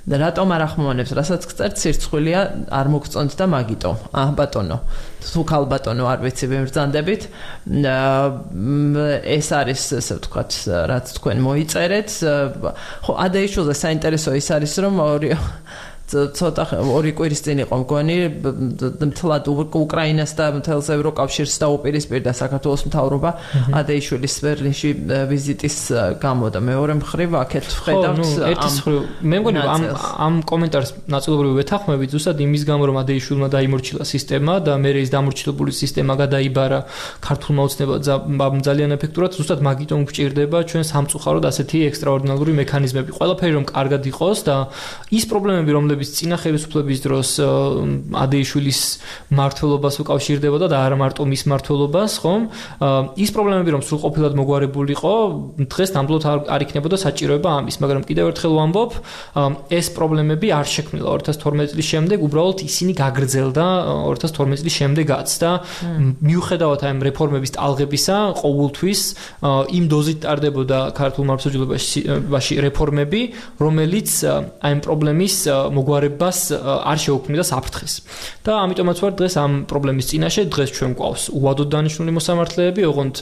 რატომ არ ახმოვანებს, რასაც გწერთ, სირცხვილია არ მოგწონთ და მაგიტო. ბატონო, თუ ქალბატონო არ ვიცი, ვემბრძანდებით. ეს არის, ესე ვთქვათ, რაც თქვენ მოიწერეთ. ხო, ადეიშვილზე საინტერესო ის არის, რომ ცოტა ორი კვირის წინ იყო მგონი მთლად უკრაინას და მთელს ევროკავშირს დაუპირისპირდა საქართველოს მთავრობა ადეიშვილის ბერლინში ვიზიტის გამო და მეორე მხრივ აქეთ ვხედავთ ერთის მხრივ მე მგონი ამ კომენტარს ნაწილობრივ ვეთანხმებით ზუსტად იმის გამო რომ ადეიშვილმა დაიმორჩილა სისტემა და მე ის დამორჩილებული სისტემა გადაიბარა ქართულმა ოცნებამ ძალიან ეფექტურად ზუსტად მაგიტომ გვჭირდება ჩვენ სამწუხაროდ ასეთი ექსტრაორდინალური მექანიზმები ყველაფერი რომ კარგად იყოს და ის პრობლემები რომლებიც წინა ხელისუფლების დროს ადეიშვილის მმართველობას უკავშირდებოდა და არა მარტო მის მმართველობას, ხომ? ის პრობლემები რომ სრულყოფილად მოგვარებულიყო, დღეს ნამდვილად არ იქნებოდა საჭიროება ამის, მაგრამ კიდევ ერთხელ ვამბობ, ეს პრობლემები არ შექმნილა 2012 წლის შემდეგ, უბრალოდ ისინი გაგრძელდა 2012 წლის შემდეგაც და მიუხედავად ამ რეფორმების ტალღებისა, ყოველთვის იმ დოზით ტარდებოდა ქართულ მართლმსაჯულებაში რეფორმები, რომელიც ამ პრობლემის მოგვარებას არ შეუქმნიდა საფრთხეს. და ამიტომაც ვარ დღეს ამ პრობლემის წინაშე, დღეს ჩვენ გვყავს უვადოდ დანიშნული მოსამართლეები, ოღონდ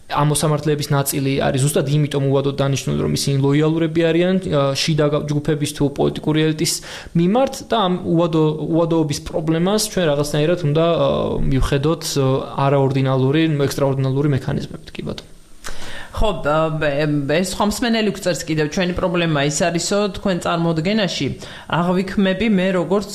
ამ მოსამართლეების ნაწილი არის ზუსტად იმიტომ უვადოდ დანიშნული, რომ ისინი ლოიალურები არიან შიდა ჯგუფების თუ პოლიტიკური ელიტის მიმართ და ამ უვადოობის პრობლემას ჩვენ რაღაცნაირად უნდა მივხედოთ არაორდინალური, ექსტრაორდინალური მექანიზმებით, კი ბატონო. ხო, ეს ხომსმენელი გვწერს კიდევ ჩვენი პრობლემა ის არისო, თქვენ წარმოდგენაში აღვიქმები მე როგორც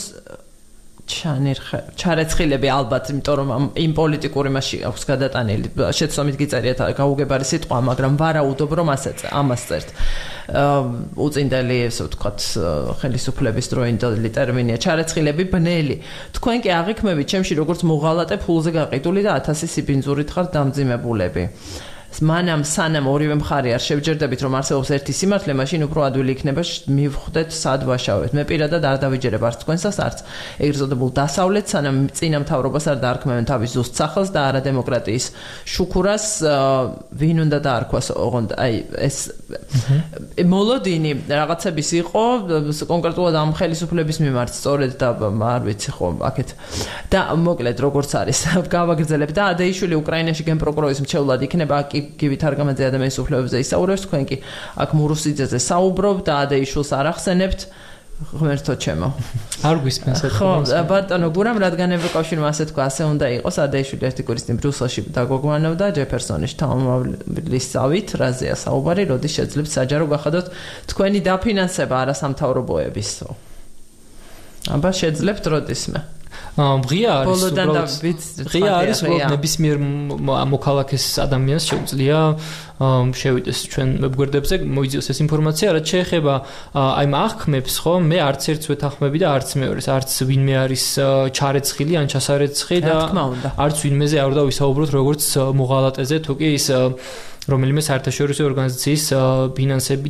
ჩარეცხილები ალბათ, იმიტომ რომ იმ პოლიტიკური მასში აქვს გადატანილი, შეცდომით გიწერიათ გაუგებარი სიტყვა, მაგრამ ვარაუდობ რომ ამას წერთ. უწინდელი, ესე ვთქვათ, ხელისუფლების დროინდელი ტერმინია ჩარეცხილები ბნელი. თქვენ კი აღვიქმებით ჩემში როგორც მოღალატე ფულზე გაყიდული და 1000 სიბინძურით ხარ დამძიმებულები. მანამ სანამ ორივე მხარე არ შევჯერდებით რომ არსებობს ერთი სიმართლე, მაშინ უფრო ადვილი იქნება მივხვდეთ სად ვაშავეთ. მე პირადად არ დავიჯერებ არც თქვენსას, არც ეგრეთ წოდებულ დასავლეთს, სანამ წინა მთავრობას არ დაარქმევენ თავის ზუსტ სახელს და არა დემოკრატიის შუქურას, ვინ უნდა დაარქვას, ოღონდ აი ეს მოლოდინი რაღაცების იყო კონკრეტულად ამ ხელისუფლების მიმართ, სწორედ და არ ვიცი ხო, აქეთ და მოკლედ როგორც არის, გავაგრძელებ და ადეიშვილი უკრაინაში გენპროკურორის მრჩევლად იქნება გივით არგამაძე ადამიანის უფლებებზე ისაუბრებს, თქვენ კი აქ მურუსიძეზე საუბრობთ და ადეიშვილს არ ახსენებთ, ღმერთო ჩემო. არ გვისმენს ეს. ხო, ბატონო გურამ, რადგან ევროკავშირმა ასე თქვა, ასე უნდა იყოს, ადეიშვილი ერთი კვირის წინ ბრიუსელში დაგოგვანებდა ჯეფერსონის შთამომავლისავით, რაზეა საუბარი, როდის შეძლებთ საჯარო გახადოთ თქვენი დაფინანსება არასამთავრობოების. აბა შეძლებთ როდისმე. ღია არის უბრალოდ ნებისმიერ მოქალაქეს ადამიანს შეუძლია შევიდეს ჩვენ ვებგვერდებზე მოიძიოს ეს ინფორმაცია, რაც შეეხება აი აღქმებს, ხო, მე არც ერთს ვეთანხმები და არც მეორეს, არც ვინმე არის ჩარეცხილი ან ჩასარეცხი და არც ვინმეზე არ უნდა ვისაუბროთ როგორც მოღალატეზე, თუ კი ის რომელიმე საერთაშორისო ორგანიზაციის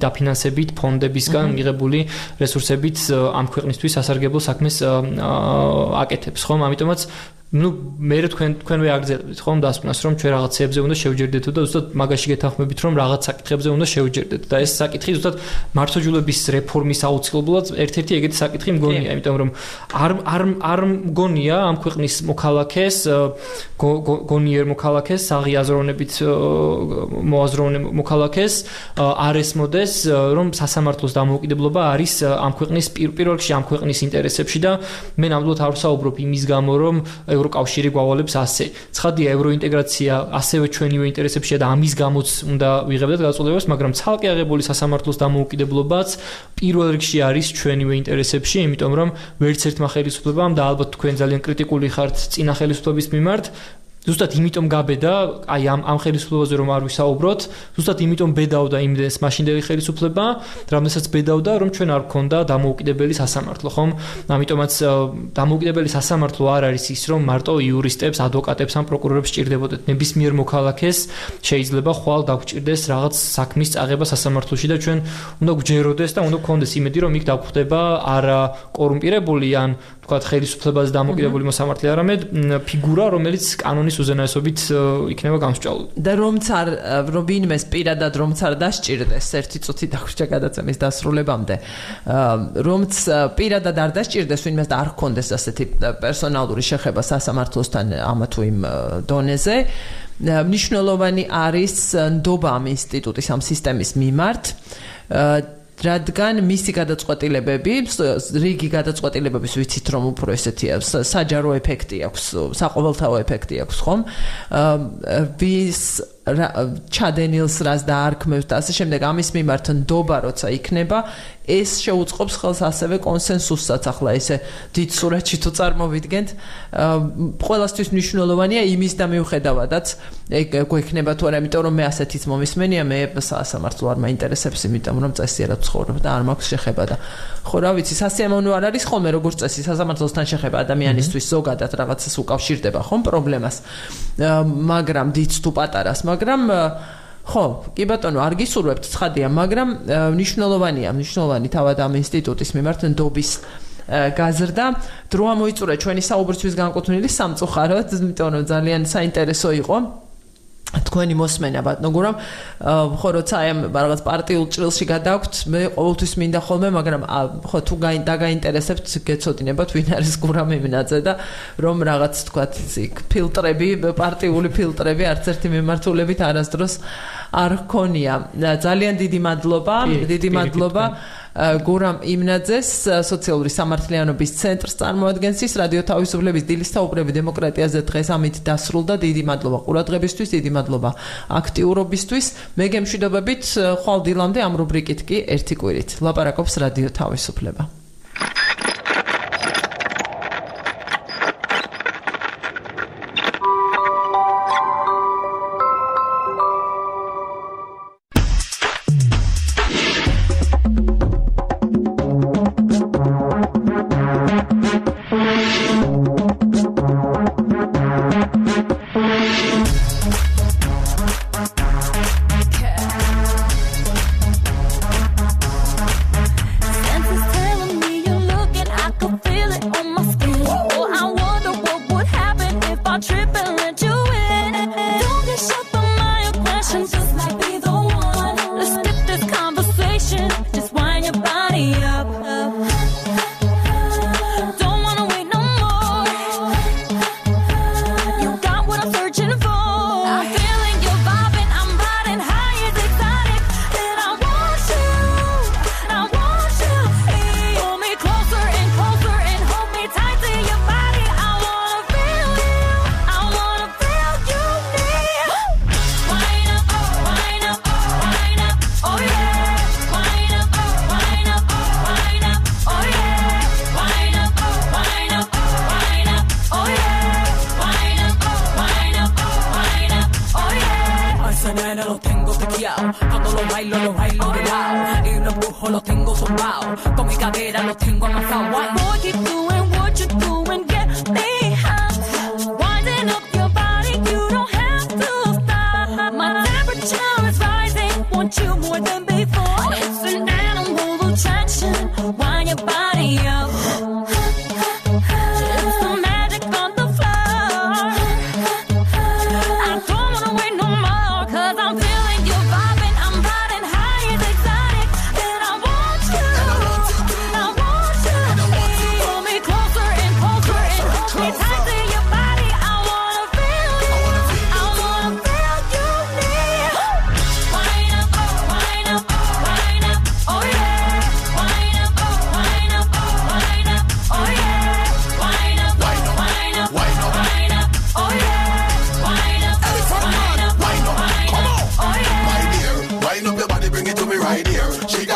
დაფინანსებით ფონდებისგან მიღებული რესურსებით ამ ქვეყნისთვის სასარგებლო საქმეს აკეთებს, ხომ? ამიტომაც მე თქვენ ვეაგრძელებთ ხომ დასკვნას რომ ჩვენ რაღაცებზე უნდა შევჯერდეთ და ზუსტად მაგაში გეთანხმებით რომ რაღაც საკითხებზე უნდა შევჯერდეთ და ეს საკითხი ზუსტად მართლმსაჯულების რეფორმის აუცილებლად ერთ-ერთი ეგეთი საკითხი მგონია, იმიტომ რომ არ მგონია ამ ქვეყნის მოქალაქეს გონიერ მოქალაქეს საღიაზროვნებით მოაზროვნე მოქალაქეს არ ესმოდეს რომ სასამართლოს დამოუკიდებლობა არის ამ ქვეყნის პირველ რიგში ამ ქვეყნის ინტერესებში და მე ნამდვილად არ ვსაუბრობ იმის გამო რომ ევროკავშირი გვავალებს ასე. ცხადია ევროინტეგრაცია ასევე ჩვენივე ინტერესებშია და ამის გამოც უნდა ვიღებდეთ გაწოლებას, მაგრამ ცალკე აღებული სასამართლოს დამოუკიდებლობაც პირველ რიგში არის ჩვენივე ინტერესებში, იმიტომ რომ ვერც ერთმა ხელისუფლებამ და ალბათ თქვენ ძალიან კრიტიკული ხართ წინა ხელისუფლების მიმართ ზუსტად იმიტომ გაბედა, აი ამ ხელისუფლებაზე რომ არ ვისაუბროთ, ზუსტად იმიტომ ბედავდა იმდენს მაშინდელი ხელისუფლება, რამდენსაც ბედავდა, რომ ჩვენ არ გქონდა დამოუკიდებელი სასამართლო, ხომ? ამიტომაც დამოუკიდებელი სასამართლო არ არის ის, რომ მარტო იურისტებს, ადვოკატებს ან პროკურორებს სჭირდებოდეთ. ნებისმიერ მოქალაქეს შეიძლება ხვალ დაგვჭირდეს რაღაც საქმის წაღება სასამართლოში და ჩვენ უნდა გვჯეროდეს და უნდა გქონდეს იმედი, რომ იქ დაგვხვდება არა კორუმპირებული ან თქვათ ხელისუფლებაზე დამოკიდებული მოსამართლე, არამედ ფიგურა, რომელიც კანონის უზენაესობით იქნება გამსჭვალული. და რომც არ ვინმეს პირადად რომც არ დასჭირდეს ერთი წუთი დაგვრჩა გადაცემის დასრულებამდე, რომც პირადად არ დასჭირდეს ვინმეს და არ ჰქონდეს ასეთი პერსონალური შეხება სასამართლოსთან ამა თუ იმ დონეზე, მნიშვნელოვანი არის ნდობა ამ ინსტიტუტის ამ სისტემის მიმართ, რადგან მისი გადაწყვეტილებები, რიგი გადაწყვეტილებების ვიცით რომ უფრო ესეთია, საჯარო ეფექტი აქვს, საყოველთაო ეფექტი აქვს, ხომ? ვის ჩადენილს რას დაარქმევს და ასე შემდეგ ამის მიმართ ნდობა როცა იქნება, ეს შეუწყობს ხელს ასევე კონსენსუსსაც, ახლა ესე დიდ სურათში თუ წარმოვიდგენთ, ყველასთვის მნიშვნელოვანია იმის და მიუხედავადაც გვექნება თუ არა, იმიტომ რომ მე ასეთიც მომისმენია, მე სასამართლო არ მაინტერესებს, იმიტომ რომ წესიერ ცხოვრობ და არ მაქვს შეხება და ხო რა ვიცი, სასიამოვნო არ არის ხოლმე როგორც წესი სასამართლოსთან შეხება ადამიანისთვის ზოგადად რაღაცას უკავშირდება ხომ პრობლემას, მაგრამ დიდ თუ პატარას, მაგრამ ხო, კი ბატონო, არ გისურვებთ ცხადია, მაგრამ მნიშვნელოვანი თავად ამ ინსტიტუტის მიმართ ნდობის გაზრდა. დრო ამოიწურა ჩვენი საუბრისთვის განკუთვნილი სამწუხაროდ, იმიტომ რომ ძალიან საინტერესო იყო თქვენი მოსმენა ბატონო გურამ, ხო როცა აი ამ რაღაც პარტიულ ჭრილში გადაგვთ, მე ყოველთვის მინდა ხოლმე, მაგრამ ხო თუ დაგაინტერესებთ, გეცოდინებათ ვინ არის გურამ იმნაძე და რომ რაღაც თქვათ იქ ფილტრები, პარტიული ფილტრები არც ერთი მიმართულებით არასდროს არ ჰქონია. ძალიან დიდი მადლობა. გურამ იმნაძეს, სოციალური სამართლიანობის ცენტრს წარმოადგენს ის რადიო თავისუფლების დილის საუბრები დემოკრატიაზე დღეს ამით დასრულდა. დიდი მადლობა ყურადღებისთვის, დიდი მადლობა აქტიურობისთვის. მე გემშვიდობებით ხვალ დილამდე ამ რუბრიკით კი ერთი კვირით. ლაპარაკობს რადიო თავისუფლება.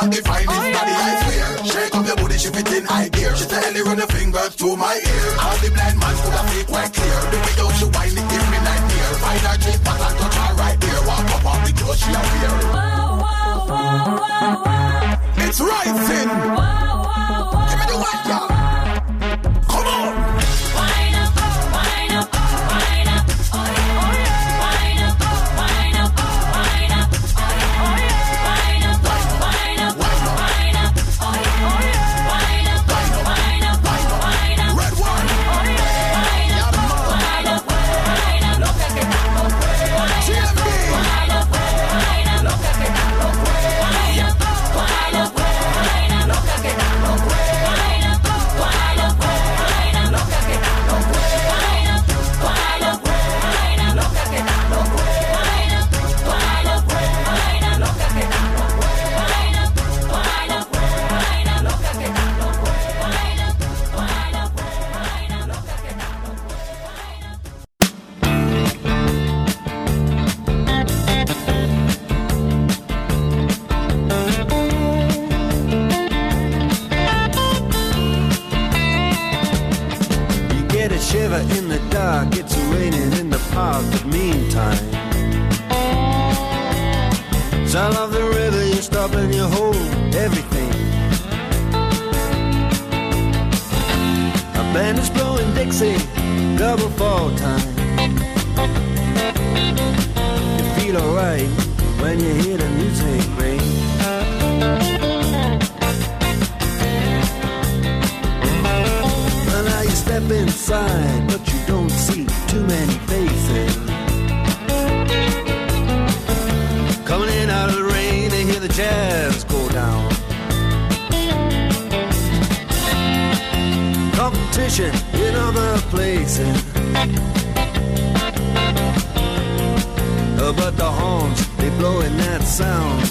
got the finest body, I swear. Shake up your booty, she fit in high gear. She steadily run her fingers through my ear. All the blind man could have feel quite clear. The way how she whine it give me nightmare. Find her cheek back and touch her right there. Walk up on the clothes she a wear. It's rising. Give me the white girl. Come on. Wind up, wind up, wind up. Oh yeah, oh yeah. Wind up, wind up, wind up. Oh yeah, oh yeah. Wind up, wind up, wind up. Oh yeah, oh yeah. Wind up, wind up, wind up. Red one. Oh yeah. Wind up, wind up, wind up. Look at it, GMB. wind up, wind up. Look at it, wind up, wind up. Look at it, wind up, wind up. Shiver in the dark, it's raining in the park, but meantime sound of the river, you stop and you hold everything. A band is blowing Dixie, double fall time. You feel alright when you hear the music ring. Step inside, but you don't see too many faces. Coming in out of the rain, they hear the jazz go down. Competition in other places, but the horns, they blow in that sound.